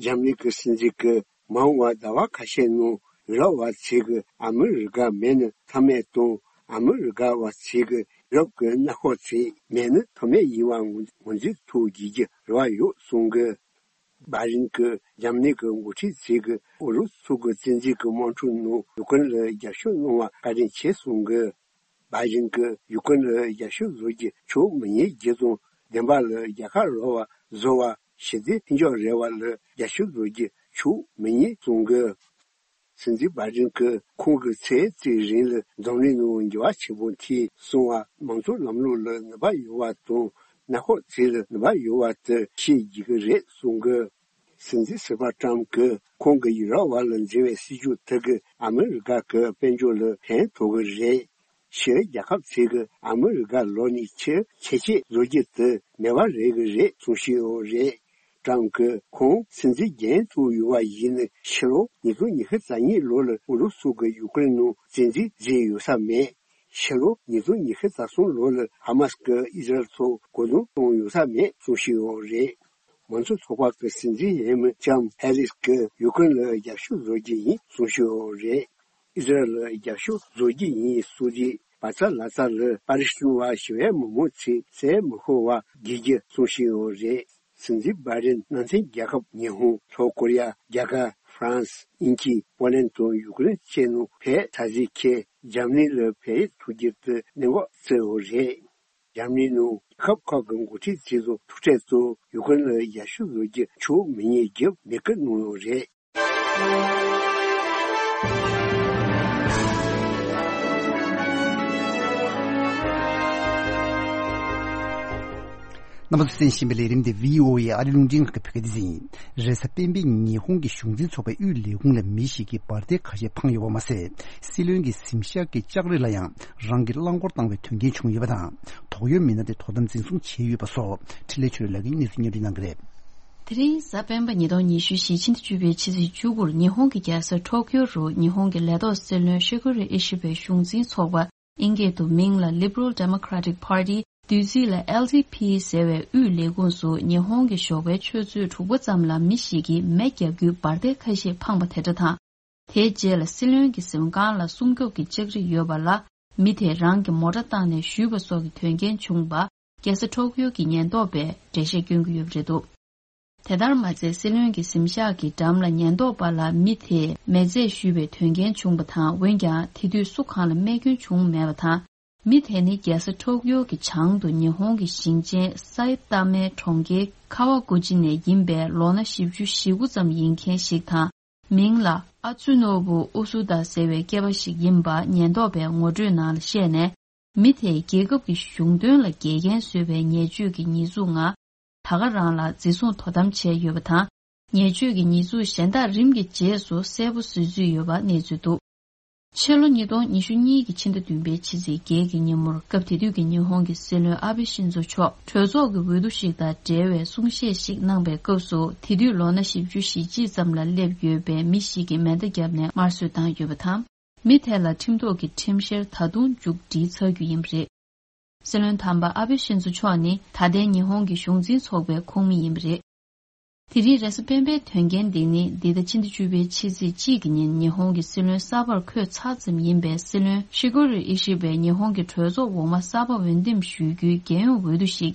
འཇར་མ་ནི་གི་སྲིད་འཛིན་གྱིས་མ་འོངས་པར་ཟླ་བ་ཁ་ཤས་ནང་ཡུ་རོབ་པ་ཚོས་ཀྱི་ཨ་མི་རི་ཀ་མེད་ན་ཐབས་མེད་དང་ཨ་མི་རི་ཀ་བ་ཚོས་ཀྱི་ཡུ་རོབ་ཀྱི་གནས་སྐབས་ཚོ་མེད་ན་ཐབས་མེད་ཡིན་པ་ངོས་ངོས་འཛིན་ཐུབ་དགོས་ཀྱི་རེ་བ་ཡོད་གསུངས་གི། བྷའི་ཌེན་གྱིས་འཇར་མ་ནི་གི་འགོ་ཁྲིད་ཚོས་ཀྱི་ཨུ་རུ་སུ་གི་བཙན་འཛུལ་གྱི་དམག་འཁྲུག་ནང་ཡུ་ཀེ་རེན་ལ་རྒྱབ་སྐྱོར་གནང་བ་བཀའ་དྲིན་ཆེ་གསུངས་གི། བྷའི་ཌེན་གྱིས་ཡུ་ཀེ་རེན་ལ་རྒྱབ་སྐྱོར་བཟོ་རྒྱུ་ཆོག་མི་ཉན་རྒྱུ་དང་བདེན་པ་ལ་རྒྱལ་ཁ་རག་པ་བཟོ་བ་ཞི་བདེ་མཐུན་འཇགས་རེ་བ་ལ་རྒྱབ་སྐྱོར་བཟོ་རྒྱུ་ཆོག་མི་ཉན་གསུངས་གི། སྲིད་འཛིན་བྷའི་ཌེན་གྱིས་ཁོང་གི་ཚེ་གཅིག་རིང་ལ་འཛམ་གླིང་ནང་འགྱུར་བ་ཆེན་པོ་འཐེན་སོང་བ་མང་གཙོ་ལམ་ལུགས་ལ་ནུས་པ་ཡོད་པ་དང་གནས་སྐབས་ཚོ་ལ་ནུས་པ་ཡོད་པ་དེ་ཤེས་དགོས་ཀྱི་རེད་གསུངས་གི། སྲིད་འཛིན་ཟུར་པ་ཀྲམ་གྱིས་ཁོང་གིས་ཡུ་རོབ་བར་ལ་འཛིན་པའི་སྲིད་ཇུས་དེ་གིས་ཨ་མི་རི་ཀ་གི་དཔལ་འབྱོར་ལ་ཕན་ཐོགས་ཀྱི་རེད། ཕྱིའི་རྒྱལ་ཁབ་ཚོས་ཀྱིས་ཨ་མི་རི་ཀ་ལོགས་ནས་ཕྱིར་ཁྱད་ཆོས་བཟོ་རྒྱུ་དེ་མེད་པ་རེད་ཀྱི་རེད་གསུངས་བཞིན་ཡོད་རེད། ཀྲམ་གྱིས་ཁོང་སྲིད་འཛིན་རྒྱུན་མཐུད་ཡོད་པ་ཡིན་ན་ཕྱི་ལོ་ཉིས་སྟོང་ཉི་ཤུ་རྩ་གཉིས་ལོ་ལ་ཨུ་རུ་སུ་གིས་ཡུ་ཀེ་རེན་ནང་བཙན་འཛུལ་བཟོས་ཡོད་ས་མེད། ཕྱི་ལོ་ཉིས་སྟོང་ཉི་ཤུ་རྩ་གསུམ་ལོ་ལ་ཧ་མ་སི་གིས་ཨི་ཟི་རལ་ཐོག་རྒོལ་རྡུང་བཏང་ཡོད་ས་མེད་གསུངས་བཞིན་ཡོད་རེད། མང་གཙོ་ཚོགས་པ་གི་སྲིད་འཛིན་འོས་མི་ལྕམ་ཧེ་རིས་ཀྱིས་ཡུ་ཀེ་རེན་ལ་རྒྱབ་སྐྱོར་བཟོ་རྒྱུ་ཡིན་གསུངས་བཞིན་ཡོད་རེད། ཨི་ཟི་རལ་ལ་རྒྱབ་སྐྱོར་བཟོ་རྒྱུ་ཡིན་གསུངས་རྗེས་བར་ཚ་ལ་ཚ་ལ་པ་ལི་སི་ཐན་བ་ཞི་བའི་མི་མང་ཚོས་བཙན་མི་ཤོར་བ་དགོས་རྒྱུ་གསུངས་བཞིན་ཡོད་རེད། སྲིད་འཛིན་བྷའི་ཌེན་མནའ་མཐུན་རྒྱལ་ཁབ་ཉི་ཧོང་། ལྷོ་ཀོ་རི་ཡ། རྒྱ་གར། ཧྥ་རན་སི། དབྱིན་ཇི། པོ་ལན་དང་ཡུ་ཀེ་རེན་བཅས་ནང་ཕེབས་ས་གཟིགས་མཁན་འཇར་མ་ནི་ལ་ཕེབས་ཐུགས་རྗེ་དུ་གནད་འགག་བརྩི་ཡོད་རེད། འཇར་མ་ནི་ནང་རྒྱལ་ཁབ་ཁག་གི་འགོ་ཁྲིད་ཚོས་ཐུག་འཕྲད་དུ་ཡུ་ཀེ་རེན་ལ་ཡར་ཞུ་བཟོ་རྒྱུ་ཆོག་མི་ཉན་རྒྱུ་མེད་སྐུལ་གནང་ཡོད་རེད། རྣམ་པ་ཚོས་གསན་བཞིན་པའི་ལས་རིམ་དེ་བྷི་ཨོ་ཨེ་ཨ་རི་རླུང་འཕྲིན་ཁང་གི་བོད་སྐད་སྡེ་ཚན་ཡིན། རེས་གཟའ་སྤེན་པའི་ཉིན་ཧོང་གི་གཞུང་འཛིན་ཚོགས་པའི་དབུས་ལས་ཁུངས་ལ་མི་ཞིག་གིས་འབར་མདེལ་ཁ་ཤས་འཕངས་ཡོད་པ་མ་ཟད། སྲིད་བློན་གྱི་གཟིམ་ཤག་གི་ལྕགས་རི་ལ་ཡང་རང་གིས་རླངས་འཁོར་བཏང་བའི་དོན་རྐྱེན་བྱུང་ཡོད་པ་དང་། དོགས་ཡོད་མི་སྣ་དེ་དོ་དམ་འཛིན་བཟུང་བྱས་ཡོད་པ་སོགས་འཕྲིན་ལས་ཆོས་ལགས་ཀྱིས་གནས་ཚུལ་སྙན་སྒྲོན་གནང་གི་རེད། དེ་རིང་གཟའ་སྤེན་པ་ཉིས་སྟོང་ཉི་ཤུ་བཞི་ཕྱི་ཟླ་བཅུ་པའི་ཕྱི་ཚེས་བཅུ་དགུར་ཉི་ཧོང་གི་རྒྱལ་ས་ཊོ་ཀིའོ་རུ་ཉི་ཧོང་གི་ལས་ཐོག་སྲིད་བློན་ཤི་གུ་རི་ཨི་ཤི་བའི་གཞུང་འཛིན་ཚོགས་པ། ཨིན་སྐད་དུ་མིང་ལ་Liberal Democratic Party། བསྡུས་ཚིག་ལ་ཨེལ་ཌི་པི་ཟེར་བའི་དབུས་ལས་ཁུངས་སུ་ཉི་ཧོང་གི་ཞོགས་པའི་ཆུ་ཚོད་དྲུག་པ་ཙམ་ལ་མི་ཞིག་གིས་མེ་བརྒྱབ་རྒྱུའི་འབར་མདེལ་ཁ་ཤས་འཕངས་པ་དེ་འདྲ་དང་། དེའི་རྗེས་ལ་སྲིད་བློན་གྱི་གཟིམ་ཁང་ལ་སྲུང་སྐྱོབ་ཀྱི་ལྕགས་རི་ཡོད་པ་ལ་མི་དེས་རང་གི་མོ་ཊ་བཏང་ནས་གཞུས་པ་སོགས་ཀྱི་དོན་རྐྱེན་བྱུང་བ། རྒྱལ་ས་ཊོ་ཀིའོ་གི་ཉེན་རྟོག་པས་འགྲེལ་བཤད་སྐྱོན་གྱི་ཡོད་པ་རེད་འདུག་དེ་ལྟར་མ་ཚད་སྲིད་བློན་གྱི་གཟིམ་ཤག་གི་འགྲམ་ལ་ཉེན་རྟོག་པ་ལ་མི་དེས་མེ་རྫས་གཞུས་པའི་དོན་རྐྱེན་བྱུང་བ་དང་། འོན་ཀྱང་དེ་དུས་སུ་གང་ལ་རྨས་སྐྱོན་བྱུང་མེད་པ་དང་། མི་དེ་ནི་རྒྱལ་ས་ཊོ་ཀིའོ་གི་བྱང་དུ་ཉི་ཧོང་གི་ཞིང་ཆེན་སའི་ཏཱ་མའི་གྲོང་ཁྱེར་ཁ་ཝ་གུ་ཅི་ནས་ཡིན་པའི་ལོ་ན་བཞི་བཅུ་ཞེ་དགུ་ཙམ་ཡིན་མཁན་ཞིག་དང་། མིང་ལ་ཨ་ཙུ་ནོ་བུ་ཨུ་སུ་ཏཱ་ཟེར་བའི་སྐྱེས་པ་ཞིག་ཡིན་པ་ཉེན་རྟོག་པས་ངོ་སྤྲོད་ནང་ལ་བཤད་ནས། མི་དེས་རྒྱལ་ཁབ་ཀྱི་གཞུང་དོན་ལ་འགལ་རྐྱེན་བཟོས་པའི་ཉེས་སྤྱོད་ཀྱི་ཉེས་འཛུགས་ངང་། ད་ག་རང་ལ་འཛིན་བཟུང་དོ་དམ་བྱས་ཡོད་པ་དང་། ཉེས་སྤྱོད་ཀྱི་ཉེས་འཛུགས་གཞན་དག་རིམ་གྱིས་རྗེས་སུ་གསལ་པོ་བཟོས་ཚུལ་ཡོད་པ་གནས་ཚུལ་འདུག་ཕྱི་ལོ་ཉིས་སྟོང་ཉི་ཤུ་གཉིས་ཀྱི་ཕྱི་ཟླ་བདུན་པའི་ཕྱི་ཚེས་བརྒྱད་ཀྱི་ཉིན་མོར། སྐབས་དེ་དུས་ཀྱི་ཉི་ཧོང་གི་སྲིད་བློན་ཨ་བྷེ་ཤིན་ཛོ་མཆོག་གྲོས་ཚོགས་ཀྱི་འོས་བསྡུ་ཞིག་དང་འབྲེལ་བའི་གསུང་བཤད་ཞིག་གནང་པའི་སྐབས་སུ། དེ་དུས་ལོ་ན་བཞི་བཅུ་ཞེ་གཅིག་ཙམ་ལ་སླེབས་ཡོད་པའི་མི་ཞིག་གིས་མེ་མདའ་བརྒྱབ་ནས་དམར་གསོད་བཏང་ཡོད་པ་དང་། མི་དེ་ལ་ཁྲིམས་ཐོག་གི་ཁྲིམས་བཤེར་ད་དུང་མཇུག་སྒྲིལ་ཚར་རྒྱུ་ཡིན་པ་རེད། སྲིད་བློན་དམ་པ་ཨ་བྷེ་ཤིན་ཛོ་མཆོག་ནི་ད་ལྟའི་ཉི་ཧོང་གི་གཞུང་འཛིན་ཚོགས་པའི་ཁོངས་མི་ཡིན་པ་རེད། དེ་རིང་རེས་གཟའ་སྤེན་པའི་དོན་རྐྱེན་འདི་ནི་འདི་ཟླ་ཕྱི་ཟླ་བཅུ་པའི་ཕྱི་ཚེས་གཅིག་གི་ཉིན་ཉི་ཧོང་གི་སྲིད་བློན་གསར་པར་འཁོད་ཚར་ཙམ་ཡིན་པའི་སྲིད་བློན་ཤི་གུ་རུ་ཨི་ཤི་བས་ཉི་ཧོང་གི་གྲོས་ཚོགས་འོག་མ་གསར་པ་འོས་འདེམས་ཞུ་རྒྱུའི་རྒྱལ་ཡོངས་འོས་བསྡུ་ཞིག་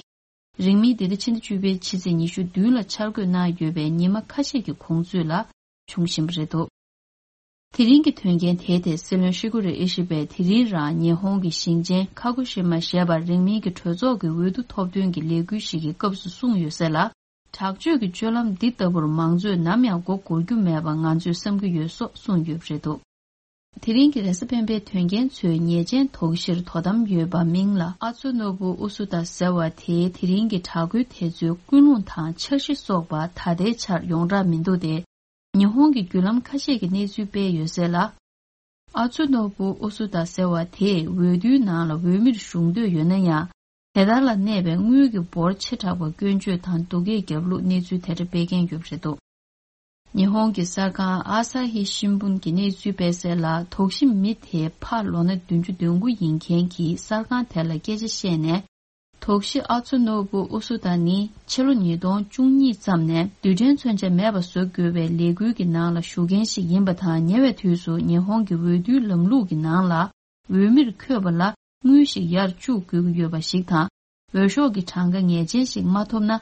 རིང་མིན་འདི་ཟླ་ཕྱི་ཟླ་བཅུ་པའི་ཕྱི་ཚེས་ཉི་ཤུ་བདུན་ལ་འཆར་འགོད་གནང་ཡོད་པའི་ཉི་མ་ཁ་ཤས་ཀྱི་གོང་ཚོད་ལ་བྱུང་བཞིན་པ་རེད་འདུག་དེ་རིང་གི་དོན་རྐྱེན་དེའི་ཐད་སྲིད་བློན་ཤི་གུ་རུ་ཨི་ཤི་བས་དེ་རིང་རང་ཉི་ཧོང་གི་ཞིང་ཆེན་ཁ་གོ་ཤི་མ་ཞེས་པར་རིང་མིན་གྱི་གྲོས་ཚོགས་ཀྱི་འོས་བསྡུ་ཐོབ་ཐོན་གྱི་ལས་འགུལ་ཞིག་གི་སྐབས་སུ་གསུངས་ཡོད་ཟེར་ལ། དྲག་སྤྱོད་ཀྱི་སྤྱོད་ལམ་འདི་ལྟ་བུར་མང་གཙོས་ནམ་ཡང་མགོ་སྒུར་རྒྱུ་མེད་པ་ང་ཚོས་བསམ་གྱི་ཡོད་སོགས་གསུངས་ཡོད་པ་རེད་འདུག་དེ་རིང་གི་རེས་གཟའ་སྤེན་པའི་དོན་རྐྱེན་ཚོའི་ཉེས་ཅན་དོགས་གཞིར་དོ་དམ་ཡོད་པ་མིང་ལ་ཨ་ཙུ་ནོ་བུ་ཨུ་སུ་ཏཱ་ཟེར་བ་དེའི་དེ་རིང་གི་དྲག་རྒོལ་དེ་ཚོའི་ཀུན་སློང་དང་འཆར་གཞི་སོགས་པ་ད་ལྟའི་ཆར་ཡོངས་གྲགས་མི་འདུག་སྟེ། ཉི་ཧོང་གི་བརྒྱུད་ལམ་ཁ་ཤས་ཀྱིས་གནས་ཚུལ་སྤེལ་ཡོད་ཟེར་ལ། ཨ་ཙུ་ནོ་བུ་ཨུ་སུ་ཏཱ་ཟེར་བ་དེས་འོས་བསྡུའི་ནང་ལ་འོས་མིར་ཞུགས་འདོད་ཡོད་ན་ཡང་། དེ་ལྟར་ལ་གནས་པའི་དངུལ་གྱི་འབོར་ཆེ་དྲགས་པ་སྐྱོན་བརྗོད་དང་སྡུག་སྐད་བརྒྱབ་ལུགས་གནས་ཚུལ་དེ་འདྲ་སྤེལ་མཁན་ཡོད་པ་རེད་འདུག་ཉི་ཧོང་གི་གསར་ཁང་ཨ་ས་ཧི་ཤིན་ཕུན་གྱིས་གནས་ཚུལ་སྤེལ་གསལ་ལ། དོགས་གཞི་མི་དེ་ཕ་ལོ་ན་བདུན་ཅུ་དོན་དགུ་ཡིན་མཁན་གྱིས་གསར་ཁང་དེ་ལ་སྐད་ཆ་བཤད་ནས། དོགས་གཞི་ཨ་ཙུ་ནོ་བུ་ཨུ་སུ་ཏཱ་ནི་ཕྱི་ལོ་ཉིས་སྟོང་བཅུ་གཉིས་ཙམ་ནས་རྡུལ་ཕྲན་མཚོན་ཆ་མེད་པ་བཟོ་དགོས་པའི་ལས་འགུལ་གྱི་ནང་ལ་ཞུགས་མཁན་ཞིག་ཡིན་པ་དང་། ཉེ་བའི་དུས་སུ་ཉི་ཧོང་གི་འོས་བསྡུའི་ལམ་ལུགས་ཀྱི་ནང་ལ་འོས་མིར་འཁོད་པ་ལ་དངུལ་ཞིག་ཡར་བཅུག་དགོས་ཀྱི་ཡོད་པ་ཞིག་དང་། འོས་ཤོག་གི་གྲངས་ཀ་ངེས་ཅན་ཞིག་མ་ཐོབ་ན།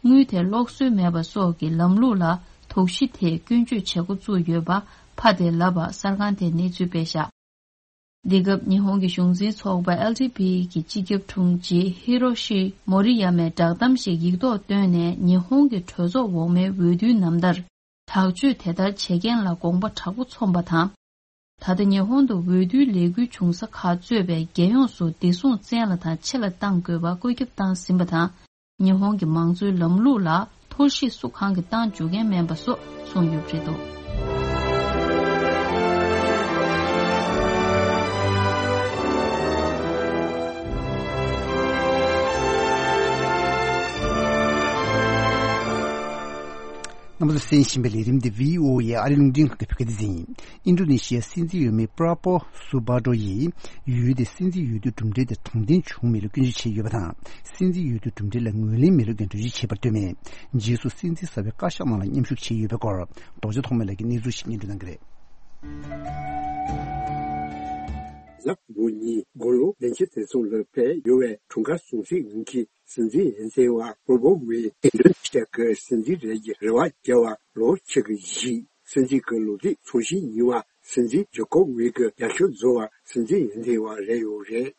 དངུལ་དེ་སློག་སྲོལ་མེད་པ་སོགས་ཀྱི་ལམ་ལུགས་ལ་དོགས་གཞི་དེས་སྐྱོན་བརྗོད་བྱེད་འགོ་བཙུགས་ཡོད་པ་ཕ་དེས་ལབ་པ་གསར་ཁང་དེས་གནས་ཚུལ་སྤེལ་བཞག་འདི་སྐབས་ཉི་ཧོང་གི་གཞུང་འཛིན་ཚོགས་པ་ཨེལ་ཌི་པི་ཡི་སྤྱི་ཁྱབ་དྲུང་ཆེ་ཧི་རོ་ཤི་མོ་རི་ཡ་མས་བསྒྲགས་གཏམ་ཞིག་ཡིག་ཐོག་བཏོན་ནས། ཉི་ཧོང་གི་གྲོས་ཚོགས་འོག་མའི་འོས་བསྡུའི་ནམ་ཟླར་དྲག་སྤྱོད་དེ་ལྟར་བྱེད་མཁན་ལ་དགོངས་པ་དྲག་པོ་ཚོམས་པ་དང་། ད་ལྟ་ཉི་ཧོང་དུ་འོས་བསྡུའི་ལས་འགུལ་བྱུང་ས་ཁག་གཙོས་པའི་རྒྱལ་ཡོངས་སུ་བདེ་སྲུང་བཙན་ལ་དང་ཆེ་ལ་གཏང་དགོས་པ་བཀོད་ཁྱབ་བཏང་ཟིན་པ་དང་། ཉི་ཧོང་གི་མང་གཙོའི་ལམ་ལུགས་ལ་ཐོར་ཞིག་སུ་གང་གིས་བཏང་འཇུག་མཁན་མིན་པ་སོགས་གསུངས་ཡོད་པ་རེད་འདུག་རྣམ་པ་ཚོས་གསན་བཞིན་པའི་ལས་རིམ་འདི་བྷི་ཨོ་ཨེ་ཨ་རི་རླུང་འཕྲིན་ཁང་གི་བོད་སྐད་སྡེ་ཚན་ཡིན། ཨིན་ཌོ་ནེ་ཤི་ཡའི་སྲིད་འཛིན་འོས་མི་པྲ་པོ་སུ་བྷ་ཏྲོ་ཡིས་ཡུལ་དེའི་སྲིད་འཛིན་འོས་བསྡུ་གྲུབ་འབྲས་དེ་དྲང་བདེན་བྱུང་མེད་ལུགས་སྐྱོན་བརྗོད་བྱས་ཡོད་པ་དང་། སྲིད་འཛིན་འོས་བསྡུ་གྲུབ་འབྲས་ལ་ངོས་ལེན་མེད་ལུགས་ཀྱང་འགྲེལ་བརྗོད་བྱས་པར་ལྟོས་མེད། རྗེས་སུ་སྲིད་འཛིན་གསར་པའི་བཀའ་ཤག་ནང་ལ་མཉམ་ཞུགས་བྱས་ཡོད་པའི་སྐོར། རྡོ་རྗེ་ཐོགས་མེད་ལགས་ཀྱིས་གནས་ཚུལ་ཞིག་སྙན་སྒྲོན་གནང་གི་རེད། གཟའ་ཕུར་བུ་ཉིན་དགུང་ལོ་བདུན་ཅུ་དོན་གསུམ་ལ་ཕེབས་ཡོད་པའི་དྲུང་འགག་ཟུང་སྲིད་དབུ་འཁྱིད་སྲིད་འཛིན་ཡུན་ཚེ་ཝ་པུར་བོ་ཝེ་འདེམས་ཐོན་ཞིག་གི་སྲིད་འཛིན་རེད་ཀྱི་རེ་བ་བརྒྱབ་པ་ལོ་ཕྱེད་ཀྱི་གཞིས་ སྲིད་འཛིན་གྱི་ལོ་རྒྱུས་ཚོང་ཞིབ་ཡིན་པ་སྲིད་འཛིན་ཇོ་ཀོ་ཝིད་ཀྱི་རྒྱབ་སྐྱོར་བཟོ་བ་སྲིད་འཛིན་ཡོན་ཏན་བ་རེད་ཡོད་རེད།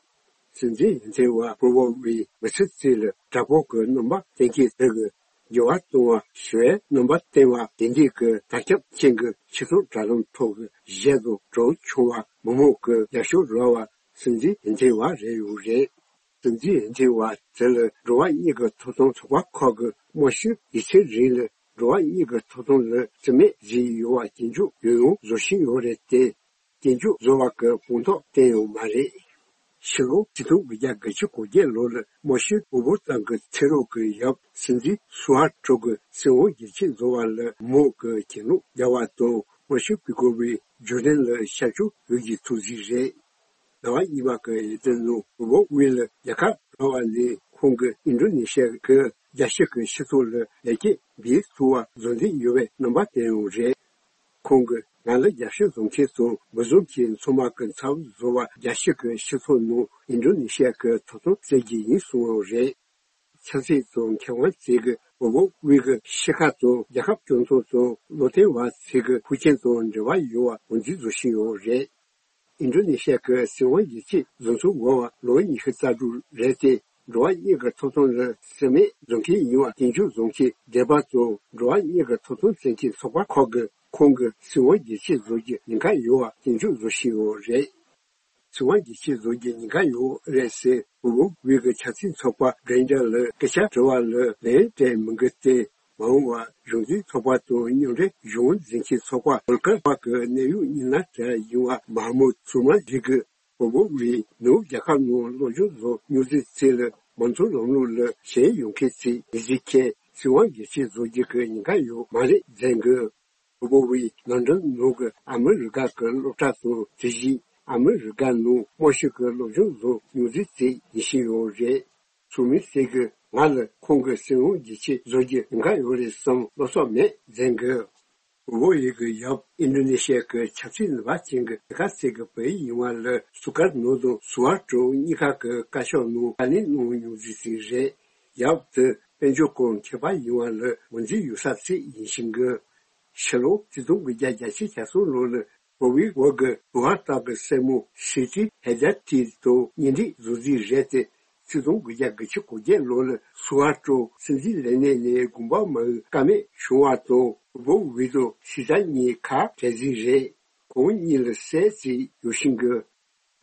སྲིད་འཛིན་ཡོན་ཏན་བ་པུར་བོ་ཝིད་མི་ཚེ་གཅིག་ལ་དྲག་པོ་གི་རྣམ་པ་བསྟན་མཁན་དེ་གི་འགྱུར་བ་གཏོང་བ་ཞི་བའི་རྣམ་པ་བསྟན་པ་དེ་འདྲས་ཀྱི་དར་ཁྱབ་ཅན་གྱི་སྤྱི་ཚོགས་དྲ་ལམ་ཐོག་གི་གཞས་དང་གྲོགས་བྱུང་བ་མི་མང་གི་རྒྱབ་སྐྱོར་རག་པ་སྲིད་འཛིན་ཡོན་ཏན་བ་རེད་ཡོད་རེད། སྲིད་འཛིན་ཡོན་ཏན་བ་དེ་ལ་འགྲོ་བ་མིའི་གི་ཐོབ་ཐང་ཚོགས་པ་ཁག་གི་དམར་ཤོག་སྒེར་ཚོའི་རིང་ལ་འགྲོ་བ་མིའི་གི་ཐོབ་ཐང་ལ་རྩིས་མེད་བཟོས་ཡོད་པ་སྐྱོན་བརྗོད་ཡང་ཡང་བཟོ་བཞིན་ཡོད་རེད་དེ། སྐྱོན་བརྗོད་བཟོ་བ་གི་དཔང་རྟགས་བསྟན་ཡོད་མ་རེད། ཕྱི་ལོ་ཆིག་སྟོང་དགུ་བརྒྱ་དགུ་བཅུ་གོ་བརྒྱད་ལོ་ལ་དམར་ཤོག་འོས་བབ་ཏང་གི་ཚེ་རོགས་ཀྱི་ཡབ་སྲིད་འཛིན་སུ་ཧར་ཊོ་གི་སྲིད་དབང་རྒྱུན་ཆད་བཟོ་བ་ལ་མོ་གི་གྱེན་ལོག་བརྒྱབ་པ་དང་དམར་ཤོག་བོད་སྐོར་བའི་བརྗོད་དོན་ལ་ཤར་ཕྱོགས་བོད་ཀྱི་ཐུགས་གཟིགས་རེད། ཟླ་བ་གཉིས་པ་གི་ཡི་དམ་ནང་འོས་བབ་དབུས་ལ་རྒྱལ་ཁ་རག་པ་ནས་ཁོང་གིས་ཨིན་ཌོ་ནེ་ཤི་ཡ་གི་རྒྱལ་སྤྱི་གི་སྤྱི་ཚོགས་ལ་ཡར་རྒྱས་འབད་ཐུབ་པ་བཟོ་འདོད་ཡོད་པའི་རྣམ་པ་བསྟན་ཡོད་རེད། ཁོང་གིས་ང་ལ་རྒྱབ་སྐྱོར་བཟོ་མཁན་དང་མི་བཟོ་མཁན་ཚང་མ་གི་ཚབ་བཟོ་བ་རྒྱལ་སྤྱི་གི་སྤྱི་ཚོགས་ནང་ཨིན་ཌོ་ནེ་ཤི་ཡ་གི་ཐོབ་ཐང་བཙལ་གྱི་ཡིན་གསུངས་ཡོད་རེད། ཆབ་སྲིད་དང་མཁས་དབང་ཚོས་ཀྱི་འོས་བབ་དབུས་ཀྱི་ཤི་ཁ་དང་རྒྱལ་ཁབ་སྐྱོང་ཚོགས་དང་བློ་བསྟན་བ་ཚོས་ཀྱི་ཤུགས་རྐྱེན་དང་འབྲེལ་བ་ཡོད་པ་ངོས་འཛིན་བཟོ་བཞིན་ཡོད་རེད། ཨིན་ཌོ་ནེ་ཤི་ཡ་གི་སྲིད་དབང་ཡིད་ཆེས་བཟོ་ཚུལ་འགོར་བ་ལོ་ཉི་ཤུ་རྩ་དྲུག་རེད་དེ། འགྲོ་བ་མིའི་གི་ཐོབ་ཐང་ལ་རྩིས་མེད་བཟོ་མཁན་ཡིན་པ་སྐྱོན་བརྗོད་བཟོ་མཁན་སྡེ་པ་ཚོ་འགྲོ་བ་མིའི་གི་ཐོབ་ཐང་བཙན་ཁྱབ་ཚོགས་པ་ཁག་གིས་ཁོང་གི་སྲིད་དབང་ཡིད་ཆེས་བཟོ་རྒྱུ་ཉེན་ཁ་ཡོད་པ་སྐྱོན་བརྗོད་བཟོ་བཞིན་ཡོད་རེད། སྲིད་དབང་ཡིད་ཆེས་བཟོ་རྒྱུ་ཉེན་ཁ་ཡོད་རེད་ཟེར་འོས་བབ་དབུས་ཀྱི་ཆབ་སྲིད་ཚོགས་པ་གྷན་ཌར་ལ་སྐད་ཆ་དྲི་བ་ལ་ལན་སྤྲད་མི་འདུག་སྟེ། མ་འོངས་པར་གཞུང་འཛིན་ཚོགས་པ་དང་མཉམ་འབྲེལ་གཞུང་འཛིན་གྱི་ཚོགས་པ་བོལ་ཀར་པ་གི་གནད་ཡོད་མི་སྣ་དེ་ཡིན་པ་མ་མུ་ཐུར་མ་ཞིག་གིས་འོས་བབ་དབུས་ནུབ་རྒྱལ་ཁབ་ནང་སློབ་སྦྱོང་བཟོ་མྱོང་ཚུལ་ཚོ་ལ་མང་གཙོ་ལམ་ལུགས་ལ་ཞེན་ཡོད་མཁན་ཚོས་མི་བརྩི་མཁན་སྲིད་དབང་ཡིད་ཆེས་བཟོ་རྒྱུ་གི་ཉེན་ཁ་ཡོད་མ་རེད་འཛེམ་དགོས། འོས་བབ་དབུས་ལོན་ཌོན་ནང་གི་ཨ་མི་རི་ཀ་གི་སློབ་གྲྭ་དང་དེ་བཞིན་ཨ་མི་རི་ཀ་ནང་དམར་ཤོག་གི་སློབ་སྦྱོང་བཟོ་མྱོང་ཚུལ་ཚོ་ཡིད་ཆེས་ཡོད་རེད། ཚུལ་མིན་ཟེར་གི་ང་ལ་ཁོང་གི་སྲིད་དབང་ཡིད་ཆེས་བཟོ་རྒྱུ་ཉེན་ཁ་ཡོད་རེད་བསམ་བློ་སོགས་མེད་འཛེམ་དགོས། འོས་བབ་དབུས་ཀྱི་ཡབ་ཨིན་ཌོ་ནེ་ཤི་ཡ་གི་ཆབ་སྲིད་ནུས་པ་ཅན་གྱི་རྒྱལ་ཁབ་ཟེར་གི་བོད་ཡིག་ཡིན་པ་ལ་སུ་ཀར་ནོར་དང་སུ་ཧར་ཀྲོ་གཉིས་ཀ་གི་བཀའ་ཤག་ནང་བཀའ་ལན་གནང་མྱོང་ཚུལ་ཞིག་རེད། ཡབ་དེ་དཔལ་འབྱོར་སྐོར་མཁས་པ་ཡིན་པ་ལ་ངོས་འཛིན་ཡོད་ས་ཞིག་ཡིན་ཞིང་གི། ཕྱི་ལོ་ཆིག་སྟོང་དགུ་བརྒྱ་གྱ་གསུམ་ལོ་ལ་བོད་པའི་བར་གྱི་དུ་བ་སྟག་གི་སྲས་མོ་སི་ཏི་ཧེ་ཇ་ཏི་དང་གཉེན་སྒྲིག་བཟོ་རྩིས་རེད་དེ། ཆིག་སྟོང་དགུ་བརྒྱ་དགུ་བཅུ་གོ་བརྒྱད་ལོ་ལ་སུ་ཧར་ཀྲོ་སྲིད་འཛིན་ལས་གནས་ནས་དགོངས་པ་མ་འོས་ཀ་མེད་བྱུང་བ་དང་འོས་བབ་དབུས་དང་སི་ཏ་གཉིས་ཁ་བྲལ་རྩིས་རེད། ཁོང་གཉིས་ལ་སྲས་གཅིག་ཡོད་ཞིང་གི།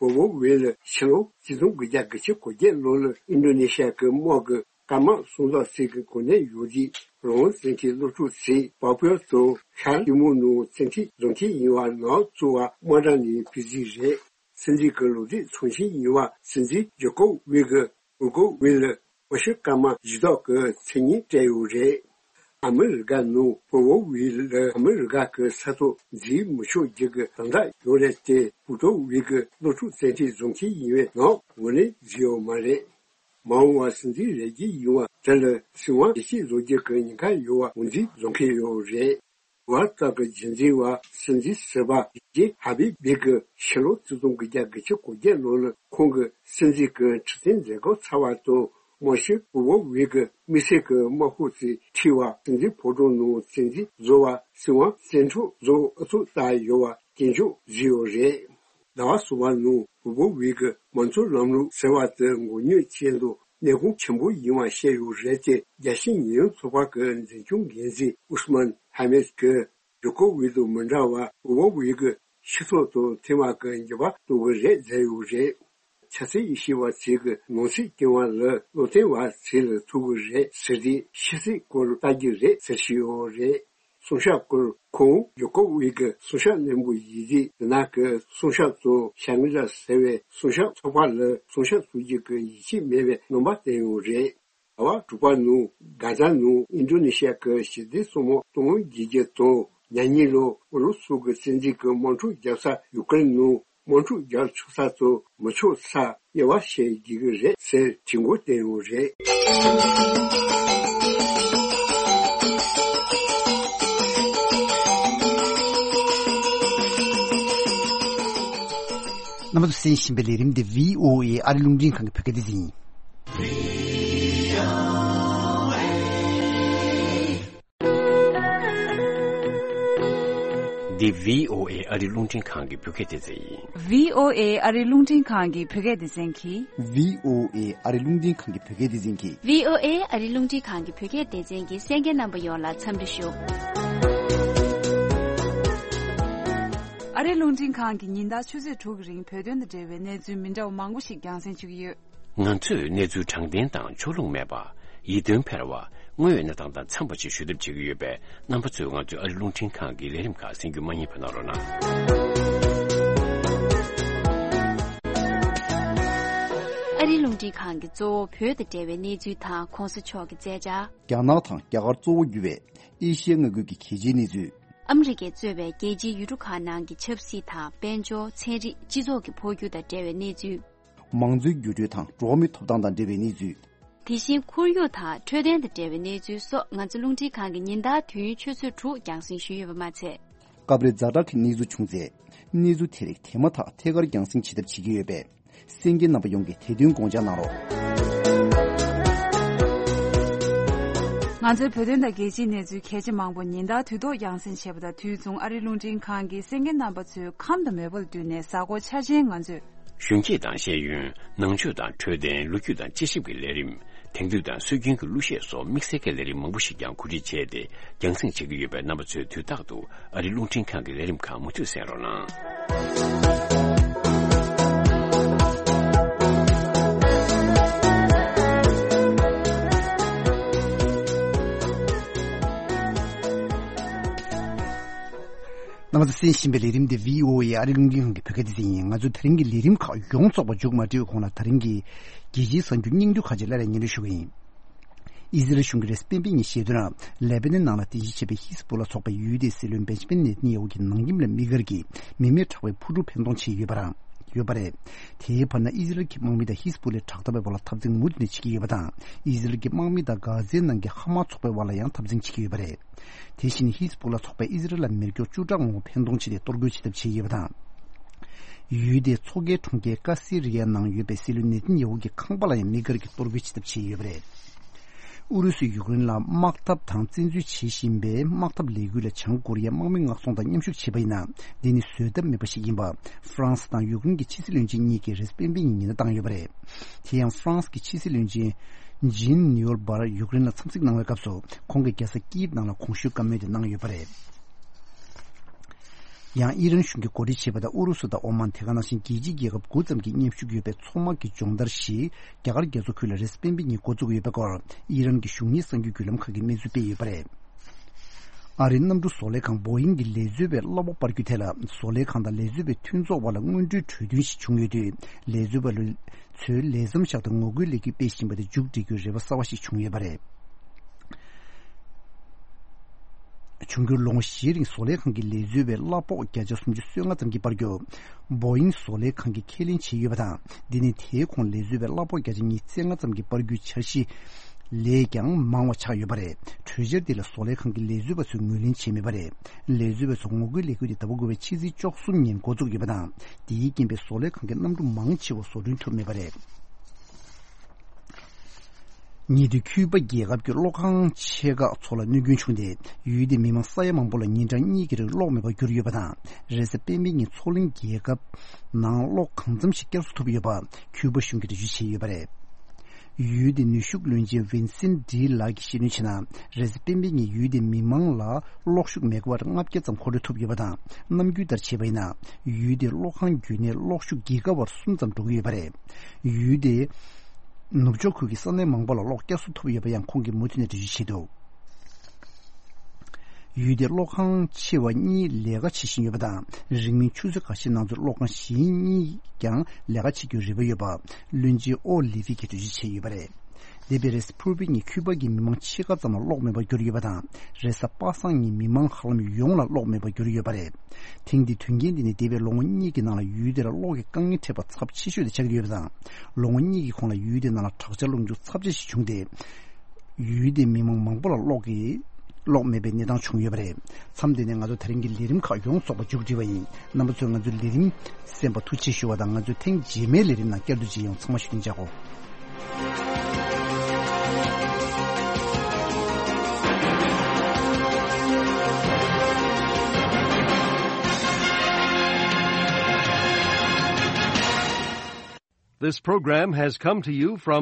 འོས་བབ་དབུས་ལ་ཕྱི་ལོ་ཆིག་སྟོང་དགུ་བརྒྱ་དགུ་བཅུ་གོ་བརྒྱད་ལོ་ལ་ཨིན་ཌོ་ནེ་ཤི་ཡ་གི་དམག་གི་སྐར་མ་སུམ་སྟོང་ཙམ་གྱི་གོ་གནས་ཡོད་དུས་རང་དབང་བཙན་གྱི་སློབ་ཕྲུག་ཚོས་པ་པུའ་དང་ཤར་ཏི་མོར་ནང་བཙན་ཁྲིད་བཟོ་མཁན་ཡིན་པ་ནག་བཙུགས་པ་དམག་གྲ་ནས་ཕུད་རྩིས་རེད། སྲིད་འཛིན་གྱི་ལོ་རྒྱུས་ཚོང་ཆེན་ཡིན་པ་སྲིད་འཛིན་ཇོ་ཀོ་ཝིད་ཀྱིས་འོས་བབ་དབུས་ལ་དམར་ཤོག་སྐར་མ་བཞི་དག་གི་མཚན་སྙན་སྤྲད་ཡོད་རེད། ཨ་མི་རི་ཀ་ནང་འོས་བབ་དབུས་ལ་ཨ་མི་རི་ཀ་གི་ས་ཐོག་འཛུལ་མི་ཆོག་རྒྱུ་གི་དམ་བསྒྲགས་ཡོད་རེད་དེ། ཕུའུ་ཀྲོ་ཝི་གི་སློབ་ཕྲུག་བཙན་ཁྲིད་བཟོ་མཁན་ཡིན་པའི་ནང་ངོས་ལེན་བཟོས་ཡོད་མ་རེད། མ་འོངས་པར་སྲིད་འཛིན་རེ་སྒུག་ཡོང་བ་དེ་ལ་སྲིད་དབང་ཡིད་ཆེས་བཟོ་རྒྱུ་གི་ཉེན་ཁ་ཡོད་པ་ངོས་འཛིན་བཟོ་མཁན་ཡོད་རེད། དུ་བ་སྟག་གི་རྒྱུན་འཛིན་པ་སྲིད་འཛིན་ཟུར་པ་ཇེ་ཧ་བི་བི་གིས་ཕྱི་ལོ་ཆིག་སྟོང་དགུ་བརྒྱ་དགུ་བཅུ་གོ་བརྒྱད་ལོ་ལ་ཁོང་གི་སྲིད་འཛིན་གྱི་ཁྲི་སྟེང་མཛད་སྒོ་ཚར་བ་དང་། དམར་ཤོག་འོས་བབ་དབུས་ཀྱི་དམིགས་བསལ་གྱི་དམག་ཁུལ་ཚོས་ཁྲིད་པ་སྲིད་འཛིན་ཕོ་བྲང་ནང་བཙན་འཛུལ་བཟོ་བ་སྲིད་དབང་བཙན་འཕྲོག་བཟོ་ཨུ་ཚུགས་བཏང་ཡོད་པ་སྐྱོན་བརྗོད་བཟོས་ཡོད་རེད། ཟླ་བ་གསུམ་པ་ནང་འོས་བབ་དབུས་ཀྱི་མང་གཙོ་ལམ་ལུགས་ཟེར་བ་དེ་མགོ་རྙོག་ཅན་དང་གནད་འགག་ཆེན་པོ་ཡིན་པ་བཤད་ཡོད་རེད་དེ། རྒྱལ་སྤྱིའི་ཉེས་ཡངས་ཚོགས་པ་གི་འཛིན་སྐྱོང་འགན་འཛིན་ཨུས་མན་ཧ་མེད་ཀྱིས་ཇོ་ཀོ་ཝིད་དང་མི་འདྲ་བར་འོས་བབ་དབུས་ཀྱི་སྤྱི་ཚོགས་དང་ཐེངས་མ་གི་འགྱུར་བ་གཏོང་གི་རེད་ཟེར་ཡོད་རེད། ཆབ་སྲིད་དབྱེ་ཞིབ་པ་ཚོས་ཀྱི་ནང་སྲིད་སྐྱོང་བ་ལ་བློ་བརྟན་བ་ཚོ་ལ་ཐུག་གི་རེད་ཟེར་ཏེ། ཕྱི་སྲིད་སྐོར་ལྟ་རྒྱུ་རེད་ཟེར་བཞིན་ཡོད་རེད། སྲུང་སྐྱོབ་སྐོར་ཁོང་ཇོ་ཀོ་ཝིད་ཀྱི་སྲུང་སྐྱོབ་བློན་པོ་ཡིན་དུས། དེ་ནང་གི་སྲུང་སྐྱོབ་གཙོ་བོ་ཤང་རི་ལ་ཟེར་བའི་སྲུང་སྐྱོབ་ཚོགས་པ་ལ་སྲུང་སྐྱོབ་སོགས་ཀྱི་ཡིད་ཆེས་མེད་པའི་རྣམ་པ་བསྟན་ཡོད་རེད། ཟླ་བ་དྲུག་པ་ནང་གྷ་ཛ་ནང་ཨིན་ཌོ་ནེ་ཤི་ཡ་གི་ཞི་བདེ་གཙང་མ་གཏོང་དགོས་རྒྱུ་དང་། ཉེ་གཉིས་ལོ་ཨུ་རུ་སུ་གི་བཙན་འཛུལ་གྱི་དམག་འཁྲུག་བརྒྱབ་ས་ཡུ་ཀེ་རེན་ནང་དམག་འཁྲུག་རྒྱག་ཆོག་ས་དང་མི་ཆོག་ས་དབྱེ་བ་ཕྱེ་དགོས་ཀྱི་རེད་ཟེར་དྲི་བཀོད་བསྟན་ཡོད་རེད། རྣམ་པ་ཚོས་གསན་བཞིན་པའི་ལས་རིམ་འདི་བྷི་ཨོ་ཨེ་ཨ་རི་རླུང་འཕྲིན་ཁང་གི་བོད་སྐད་སྡེ་ཚན་ཡིན། འདི་བྷི་ཨོ་ཨེ་ཨ་རིའི་རླུང་འཕྲིན་ཁང་གི་བོད་སྐད་སྡེ་ཚན་ཡིན། བྷི་ཨོ་ཨེ་ཨ་རིའི་རླུང་འཕྲིན་ཁང་གི་བོད་སྐད་སྡེ་ཚན་གྱིས། བྷི་ཨོ་ཨེ་ཨ་རིའི་རླུང་འཕྲིན་ཁང་གི་བོད་སྐད་སྡེ་ཚན་གྱིས། བྷི་ཨོ་ཨེ་ཨ་རིའི་རླུང་འཕྲིན་ཁང་གི་བོད་སྐད་སྡེ་ཚན་གྱི་གསན་མཁན་རྣམ་པ་ཡོངས་ལ་འཚམས་འདྲི་ཞུ། ཨ་རིའི་རླུང་འཕྲིན་ཁང་གིས་ཉིན་ལྟར་ཆུ་ཚོད་དྲུག་གི་རིང་བོད་དོན་དང་འབྲེལ་བའི་གནས་ཚུལ་མི་འདྲ་བ་མང་པོ་ཞིག་རྒྱང་སྲིང་ཞུ་གི་ཡོད། ང་ཚོས་གནས་ཚུལ་དྲང་བདེན་དང་ཕྱོགས་ལྷུང་མེད་པ། ཡིད་རྟོན་འཕེར་བ། དངོས་ཡོད་གནས་སྟངས་དང་འཚམས་པ་ཞིག་ཞུ་ཐབས་བྱེད་ཀྱི་ཡོད་པས། རྣམ་པ་ཚོས་ང་ཚོའི་ཨ་རིའི་རླུང་འཕྲིན་ཁང་གི་ལས་རིམ་ཁག་གསན་རྒྱུ་མ་བསྙེལ་བ་གནང་རོགས་གནང་། ཨ་རིའི་རླུང་འཕྲིན་ཁང་གི་གཙོ་བོ་བོད་དང་འབྲེལ་བའི་གནས་ཚུལ་དང་གོང་ས་མཆོག་གི་མཛད་འཆར། རྒྱ་ནག་དང་རྒྱ་གར་གཙོ་བོ་གྱུར་བའི་ཨེ་ཤི་ཡ་མངའ་ཁུལ་གྱི་གལ་ཆེའི་གནས་ཚུལ། ཨ་མི་རི་ཀས་གཙོས་པའི་རྒྱལ་སྤྱིའི་ཡུལ་གྲུ་ཁག་ནང་གི་ཆབ་སྲིད་དང་དཔལ་འབྱོར། ཚན་རིག་སྤྱི་ཚོགས་ཀྱི་འཕོ་འགྱུར་དང་འབྲེལ་བའི་གནས་ཚུལ། མང་གཙོའི་འགྱུར་འགྲོས་དང་འགྲོ་བ་མིའི་ཐོབ་ཐང་དང་འབྲེལ་བའི་གནས་ཚུལ། དེ་བཞིན་ཁོར་ཡུག་དང་འཕྲོད་བསྟེན་དང་འབྲེལ་བའི་གནས་ཚུལ་སོགས་ང་ཚོ་རླུང་འཕྲིན་ཁང་གིས་ཉིན་ལྟར་དུས་ཡུན་ཆུ་ཚོད་དྲུག་རྒྱང་སྲིང་ཞུས་ཡོད་པ་མ་ཚད། སྐབས་རེ་ཛ་དྲག་གི་གནས་ཚུལ་བྱུང་ཚེ། གནས་ཚུལ་དེ་རིགས་དེ་མ་ཐག་ཐད་ཀར་རྒྱང་སྲིང་བྱེད་ཐབས་བྱེད་ཀྱི་ཡོད་པས། གསན་མཁན་རྣམ་པ་ཡོངས་ཀྱིས་དེ་དོན་དགོངས་འཇགས་གནང་རོགས། ང་ཚོའི་བོད་དོན་དང་རྒྱལ་སྤྱིའི་གནས་ཚུལ་གལ་ཆེ་མང་པོ་ཉིན་ལྟར་དུས་ཐོག་རྒྱང་སྲིང་བྱེད་པ་དང་དུས་མཚུངས་ཨ་རིའི་རླུང་འཕྲིན་ཁང་གིས་གསན་མཁན་རྣམ་པ་ཚོའི་ཁམས་དང་མོས་པ་ལ་བསྟུན་ནས་གཟའ་འཁོར་འཆར་ཅན་ང་ཚོས། གཞོན་སྐྱེས་དང་ཤེས་ཡོན། ནང་ཆོས་དང་འཕྲོད་བསྟེན། ལོ་རྒྱུས་དང་དཔྱད་ཞིབ་ཀྱི་ལས་རིམ། དེང་དུས་དང་སྲོལ་རྒྱུན་གྱི་གླུ་གཞས་སོགས་དམིགས་བསལ་གྱི་ལས་རིམ་མང་པོ་ཞིག་ཀྱང་གོ་སྒྲིག་བྱས་ཏེ་རྒྱང་སྲིང་བྱེད་ཀྱི་ཡོད་པས། རྣམ་པ་ཚོས་དུས་རྟག་ཏུ་ཨ་རིའི་རླུང་འཕྲིན་ཁང་གི་ལས་རིམ་ཁག་མུ་མཐུད་གསན་རོགས་གནང་། རྣམ་པ་ཚོས་གསན་བཞིན་པའི་ལས་རིམ་འདི་བྷི་ཨོ་ཨེ་ཨ་རིའི་རླུང་འཕྲིན་ཁང་གི་བོད་སྐད་སྡེ་ཚན་ཡིན། ང་ཚོའི་ད་རིང་གི་ལས་རིམ་ཁག་ཡོངས་རྫོགས་པ་མཇུག་མ་སྒྲིལ་བའི་གོང་ལ། ད་རིང་གི་རྒྱལ་སྤྱིའི་གསར་འགྱུར་སྙིང་བསྡུས་ཁག་ཅིག་སླར་ཡང་སྙན་སྒྲོན་ཞུ་གི་ཡིན། ཨི་ཟི་རལ་གཞུང་གིས་རེས་གཟའ་སྤེན་པའི་ཉིན་བཤད་དོན། ལེ་པ་ནན་ནང་ལ་རྟེན་གཞི་བྱས་པའི་ཧི་ཟ་བྷོ་ལ་ཚོགས་པས་ཡུལ་དེའི་སྲིད་བློན་བེན་ཇ་མིན་ནེ་ཐན་ཡ་ཧུ་གྱི་ནང་ཁྱིམ་ལ་དམིགས་བཀར་གྱིས་མི་མེད་དྲག་པོའི་འཕུར་གྲུ་འཕེན་གཏོང་བྱས་ཡོད་པ་རང་ཡོད་པ་རེད། དེའི་བར་ན་ཨི་ཟི་རལ་གྱི་དམག་མི་དང་ཧི་ཟ་བྷོ་ལའི་དྲག་འཐབ་པའི་བར་ལ་འཐབ་འཛིང་མུ་མཐུད་ནས་བྱེད་ཀྱི་ཡོད་པ་དང་། ཨི་ཟི་རལ་གྱི་དམག་མི་དང་གྷ་ཛའི་ནང་གི་ཧ་མ་ཚོགས་པའི་བར་ལ་ཡང་འཐབ་འཛིང་བྱེད་ཀྱི་ཡོད་པ་རེད། དེ་བཞིན་ཧི་ཟ་བྷོ་ལ་ཚོགས་པས་ཨི་ཟི་རལ་ལ་མེ་སྒྱོགས་བཅུ་ཕྲག་ངོ་བོ་འཕེན་གཏོང་བྱས་ཏེ་གཏོར་རྒོལ་བྱེད་ཐབས་བྱས་ཡོད་པ་དང་། ཡུལ་དེའི་མཚོ་ཁའི་གྲོང་ཁྱེར་ཀ་སི་རི་ཡའི་ནང་ཡོད་པའི་སྲིད་བློན་ནེ་ཐན་ཡ་ཧུ་གྱི་ཁང་པ་ལ་ཡང་དམིགས་བཀར་གྱིས་གཏོར་རྒོལ་བྱེད་ཐབས་བྱས་ཡོད་པ་རེད། ཨུ་རུ་སུས་ཡུཀ་རེན་ལ་དམག་འཐབ་དང་བཙན་འཛུལ་བྱེད་བཞིན་པའི་དམག་འཐབ་ལས་འགུལ་ལ་བྱང་ཀོ་རི་ཡས་དམག་མི་མངགས་ཚོང་དང་མཉམ་ཞུགས་བྱས་པ་ཡིན་ན། འདི་ནི་བཟོད་ཐབས་མེད་པ་ཞིག་ཡིན་པ། ཧྥ་རན་སི་དང་ཡུཀ་རེན་གྱི་ཕྱི་སྲིད་བློན་ཆེན་གཉིས་ཀྱིས་རེས་གཟའ་སྤེན་པའི་ཉིན་ཉེན་བརྡ་བཏང་ཡོད་པ་རེད། དེ་ཡང་ཧྥ་རན་སི་གི་ཕྱི་སྲིད་བློན་ཆེན་ཇིན་ནིའུར་བར་ཡུཀ་རེན་ལ་འཚམས་གཟིགས་གནང་བའི་སྐབས་སུ། ཁོང་གིས་རྒྱལ་ས་ཀིབ་ནང་ལ་གོང་ཞུས་བཀའ་མོལ་དེ་གནང་ཡོད་པ་རེད། ཡང་ཨི་རན་གཞུང་གིས་གོ་སྒྲིག་བྱས་པ་དང་ཨུ་རུ་སུ་དང་ཨོ་མན། དེ་ག་ནང་བཞིན་རྒྱལ་སྤྱིའི་རྒྱལ་ཁབ་དགུ་ཙམ་གྱིས་མཉམ་ཞུགས་ཡོད་པའི་མཚོ་དམག་གི་སྦྱོང་བརྡར་ཞིག་རྒྱ་གར་རྒྱ་མཚོ་ཁུལ་ལ་རེས་གཟའ་སྤེན་པའི་ཉིན་འགོ་འཛུགས་ཡོད་པའི་སྐོར་ཨི་རན་གྱི་གཞུང་གཉེར་གསར་འགྱུར་བརྒྱུད་ལམ་ཁག་གིས་གནས་ཚུལ་སྤེལ་ཡོད་པ་རེད། ཨ་རིའི་གནམ་གྲུ་བཟོ་ལས་ཁང་བོ་ཡིང་གི་ལས་བཟོ་བའི་གླ་ཕོགས་སྤར་རྒྱུ་དེ་ལ། བཟོ་ལས་ཁང་དང་ལས་བཟོ་བའི་མཐུན་ཚོགས་དབར་ལ་དངོས་འབྲེལ་གྲོས་མཐུན་ཞིག་བྱུང་ཡོད་དུས། ལས་བཟོ་བ་ལུ་ཚོས་ལས་མཚམས་བཞག་སྟེ་ངོ་རྒོལ་ལས་འགུལ་སྤེལ་བཞིན་པ་དེ་མཇུག་སྒྲིལ་རྒྱུའི་རེ་བ་གསར་བ་ཞིག་བྱུང་ཡོད་པ་རེད། འབྱུང་འགྱུར་ལོ་ངོ་བཞིའི་རིང་བཟོ་ལས་ཁང་གི་ལས་བཟོ་བའི་གླ་ཕོགས་བརྒྱ་ཆ་སུམ་ཅུ་སོ་ལྔ་ཙམ་གྱིས་སྤར་རྒྱུ། བོ་ཡིང་བཟོ་ལས་ཁང་གིས་ཁས་ལེན་བྱས་ཡོད་པ་དང་། འདི་ནི་དེའི་གོང་ལས་བཟོ་བའི་གླ་ཕོགས་བརྒྱ་ཆ་ཉི་ཤུ་རྩ་ལྔ་ཙམ་གྱིས་སྤར་རྒྱུའི་འཆར་གཞི་ལས་ཀྱང་མང་བ་ཆགས་ཡོད་པ་རེད། གྲོས་འཆར་འདི་ལ་བཟོ་ལས་ཁང་གི་ལས་བཟོ་བ་ཚོས་ངོས་ལེན་བྱས་མེད་པ་རེད། ལས་བཟོ་བ་ཚོ་ངོ་རྒོལ་ལས་འགུལ་དེ་ཟླ་བ་དགུ་པའི་ཕྱི་ཚེས་བཅུ་གསུམ་ཉིན་འགོ་འཛུགས་ཡོད་པ་དང་། འདིའི་རྐྱེན་པས་བཟོ་ལས་ཁང་གི་གནམ་གྲུ་མང་ཆེ་བ་བཟོ་སྐྲུན་ཐུབ་མེད་པ་རེད། ཉེ་དུས་ཁྱུ་པ་རྒྱལ་ཁབ་ཀྱི་གློག་ཁང་ཆེ་ཁག་ཚོ་ལ་གནོད་སྐྱོན་བྱུང་སྟེ། ཡུལ་དེའི་མི་མང་ས་ཡ་མང་པོ་ལ་ཉིན་གྲངས་གཉིས་ཀྱི་རིང་གློག་མེད་པར་གྱུར་ཡོད་པ་དང་། རེས་གཟའ་སྤེན་པའི་ཉིན་མཚོ་གླིང་རྒྱལ་ཁབ་ནང་གློག་གང་འཚམ་ཞིག་བསྐྱར་གསོ་ཐུབ་ཡོད་པ་ཁྱུ་པ་གཞུང་གིས་འགྲེལ་བརྗོད་བྱས་ཡོད་པ་རེད། ཡུལ་དེའི་ནུས་ཤུགས་བློན་ཆེན་ཝིན་སིན་ཌི་ལགས་ཀྱིས་བཤད་དོན་བྱས་ན། རེས་གཟའ་སྤེན་པའི་ཉིན་ཡུལ་དེའི་མི་མང་ལ་གློག་ཤུགས་མེ་ག་ཝཊ་ལྔ་བརྒྱ་ཙམ་མཁོ་སྤྲོད་ཐུབ་ཡོད་པ་དང་། ནམ་རྒྱུན་ལྟར་བྱས་པ་ཡིན་ན། ཡུལ་དེའི་གློག་ཁང་བརྒྱུད་ནས་གློག་ཤུགས་གི་ག་ཝཊ་གསུམ་ཙམ་འགྲོ་གི་ཡོད་པ་རེད། ཡུལ་དེའི་ནུབ་ཕྱོགས་ཁུལ་གྱི་ས་གནས་མང་པོ་ལ་གློག་བསྐྱར་གསོ་ཐུབ་ཡོད་པ་ཡང་ཁོང་གིས་མུ་མཐུད་ནས་འགྲེལ་བརྗོད་བྱས་འདུག་ཡུལ་དེའི་གློག་ཁང་ཆེ་བ་གཉིས་ལས་ཀ་བྱེད་བཞིན་ཡོད་པ་དང་། རིང་མིན་ཆུ་ཚོད་ཁ་ཤས་ནང་ཚུད་གློག་ཁང་གཞན་གཉིས་ཀྱང་ལས་ཀ་བྱེད་རྒྱུའི་རེ་བ་ཡོད་པ་བློན་ཆེན་ཨོ་ལི་ཝི་གིས་འགྲེལ་བརྗོད་བྱས་ཡོད་པ་རེད། འདས་པའི་རེས་གཟའ་ཕུར་བུའི་ཉིན་ཁྱུ་པ་གི་མི་མང་ཕྱེད་ཀ་ཙམ་ལ་གློག་མེད་པར་གྱུར་ཡོད་པ་དང་། རེས་གཟའ་པ་སངས་ཉིན་མི་མང་ཧ་ལམ་ཡོངས་ལ་གློག་མེད་པར་གྱུར་ཡོད་པ་རེད། ཐེངས་འདིའི་དོན་རྐྱེན་འདི་ནི་འདས་པའི་ལོ་ངོ་གཉིས་ཀྱི་ནང་ལ་ཡུལ་དེ་ལ་གློག་གི་དཀའ་ངལ་འཕྲད་པ་ཚབས་ཆེ་ཤོས་དེ་ཆགས་ཀྱི་ཡོད་པ་དང་། ལོ་ངོ་གཉིས་ཀྱི་གོང་ལ་ཡུལ་དེའི་ནང་ལ་དྲག་ཆར་རླུང་འཕྱུག་ཚབས་ཆེ་ཞིག་བྱུང་སྟེ། ཡུལ་དེའི་མི་མང་མང་པོ་ལ་གློག་གི་གློག་མེད་པའི་གནས་སྟངས་བྱུང་ཡོད་པ་རེད། མཚམས་འདི་ནས་ང་ཚོ་དེ་རིང་གི་ལས་རིམ་ཁག་ཡོངས་རྫོགས་པ་མཇུག་བསྒྲིལ་བ་ཡིན། རྣམ་པ་ཚོས་ང་ཚོའི་ལས་རིམ་གསན་པར་ཐུགས་རྗེ་ཆེ་ཞུ་བ་དང་། ང་ཚོས་ཐེངས་རྗེས་མའི་ལས་རིམ་ནང་བསྐྱར་དུ་མཇལ་ཡོང་། ཚང་མ་བཞུགས་གདན་འཇགས་གོ། This program has come to you from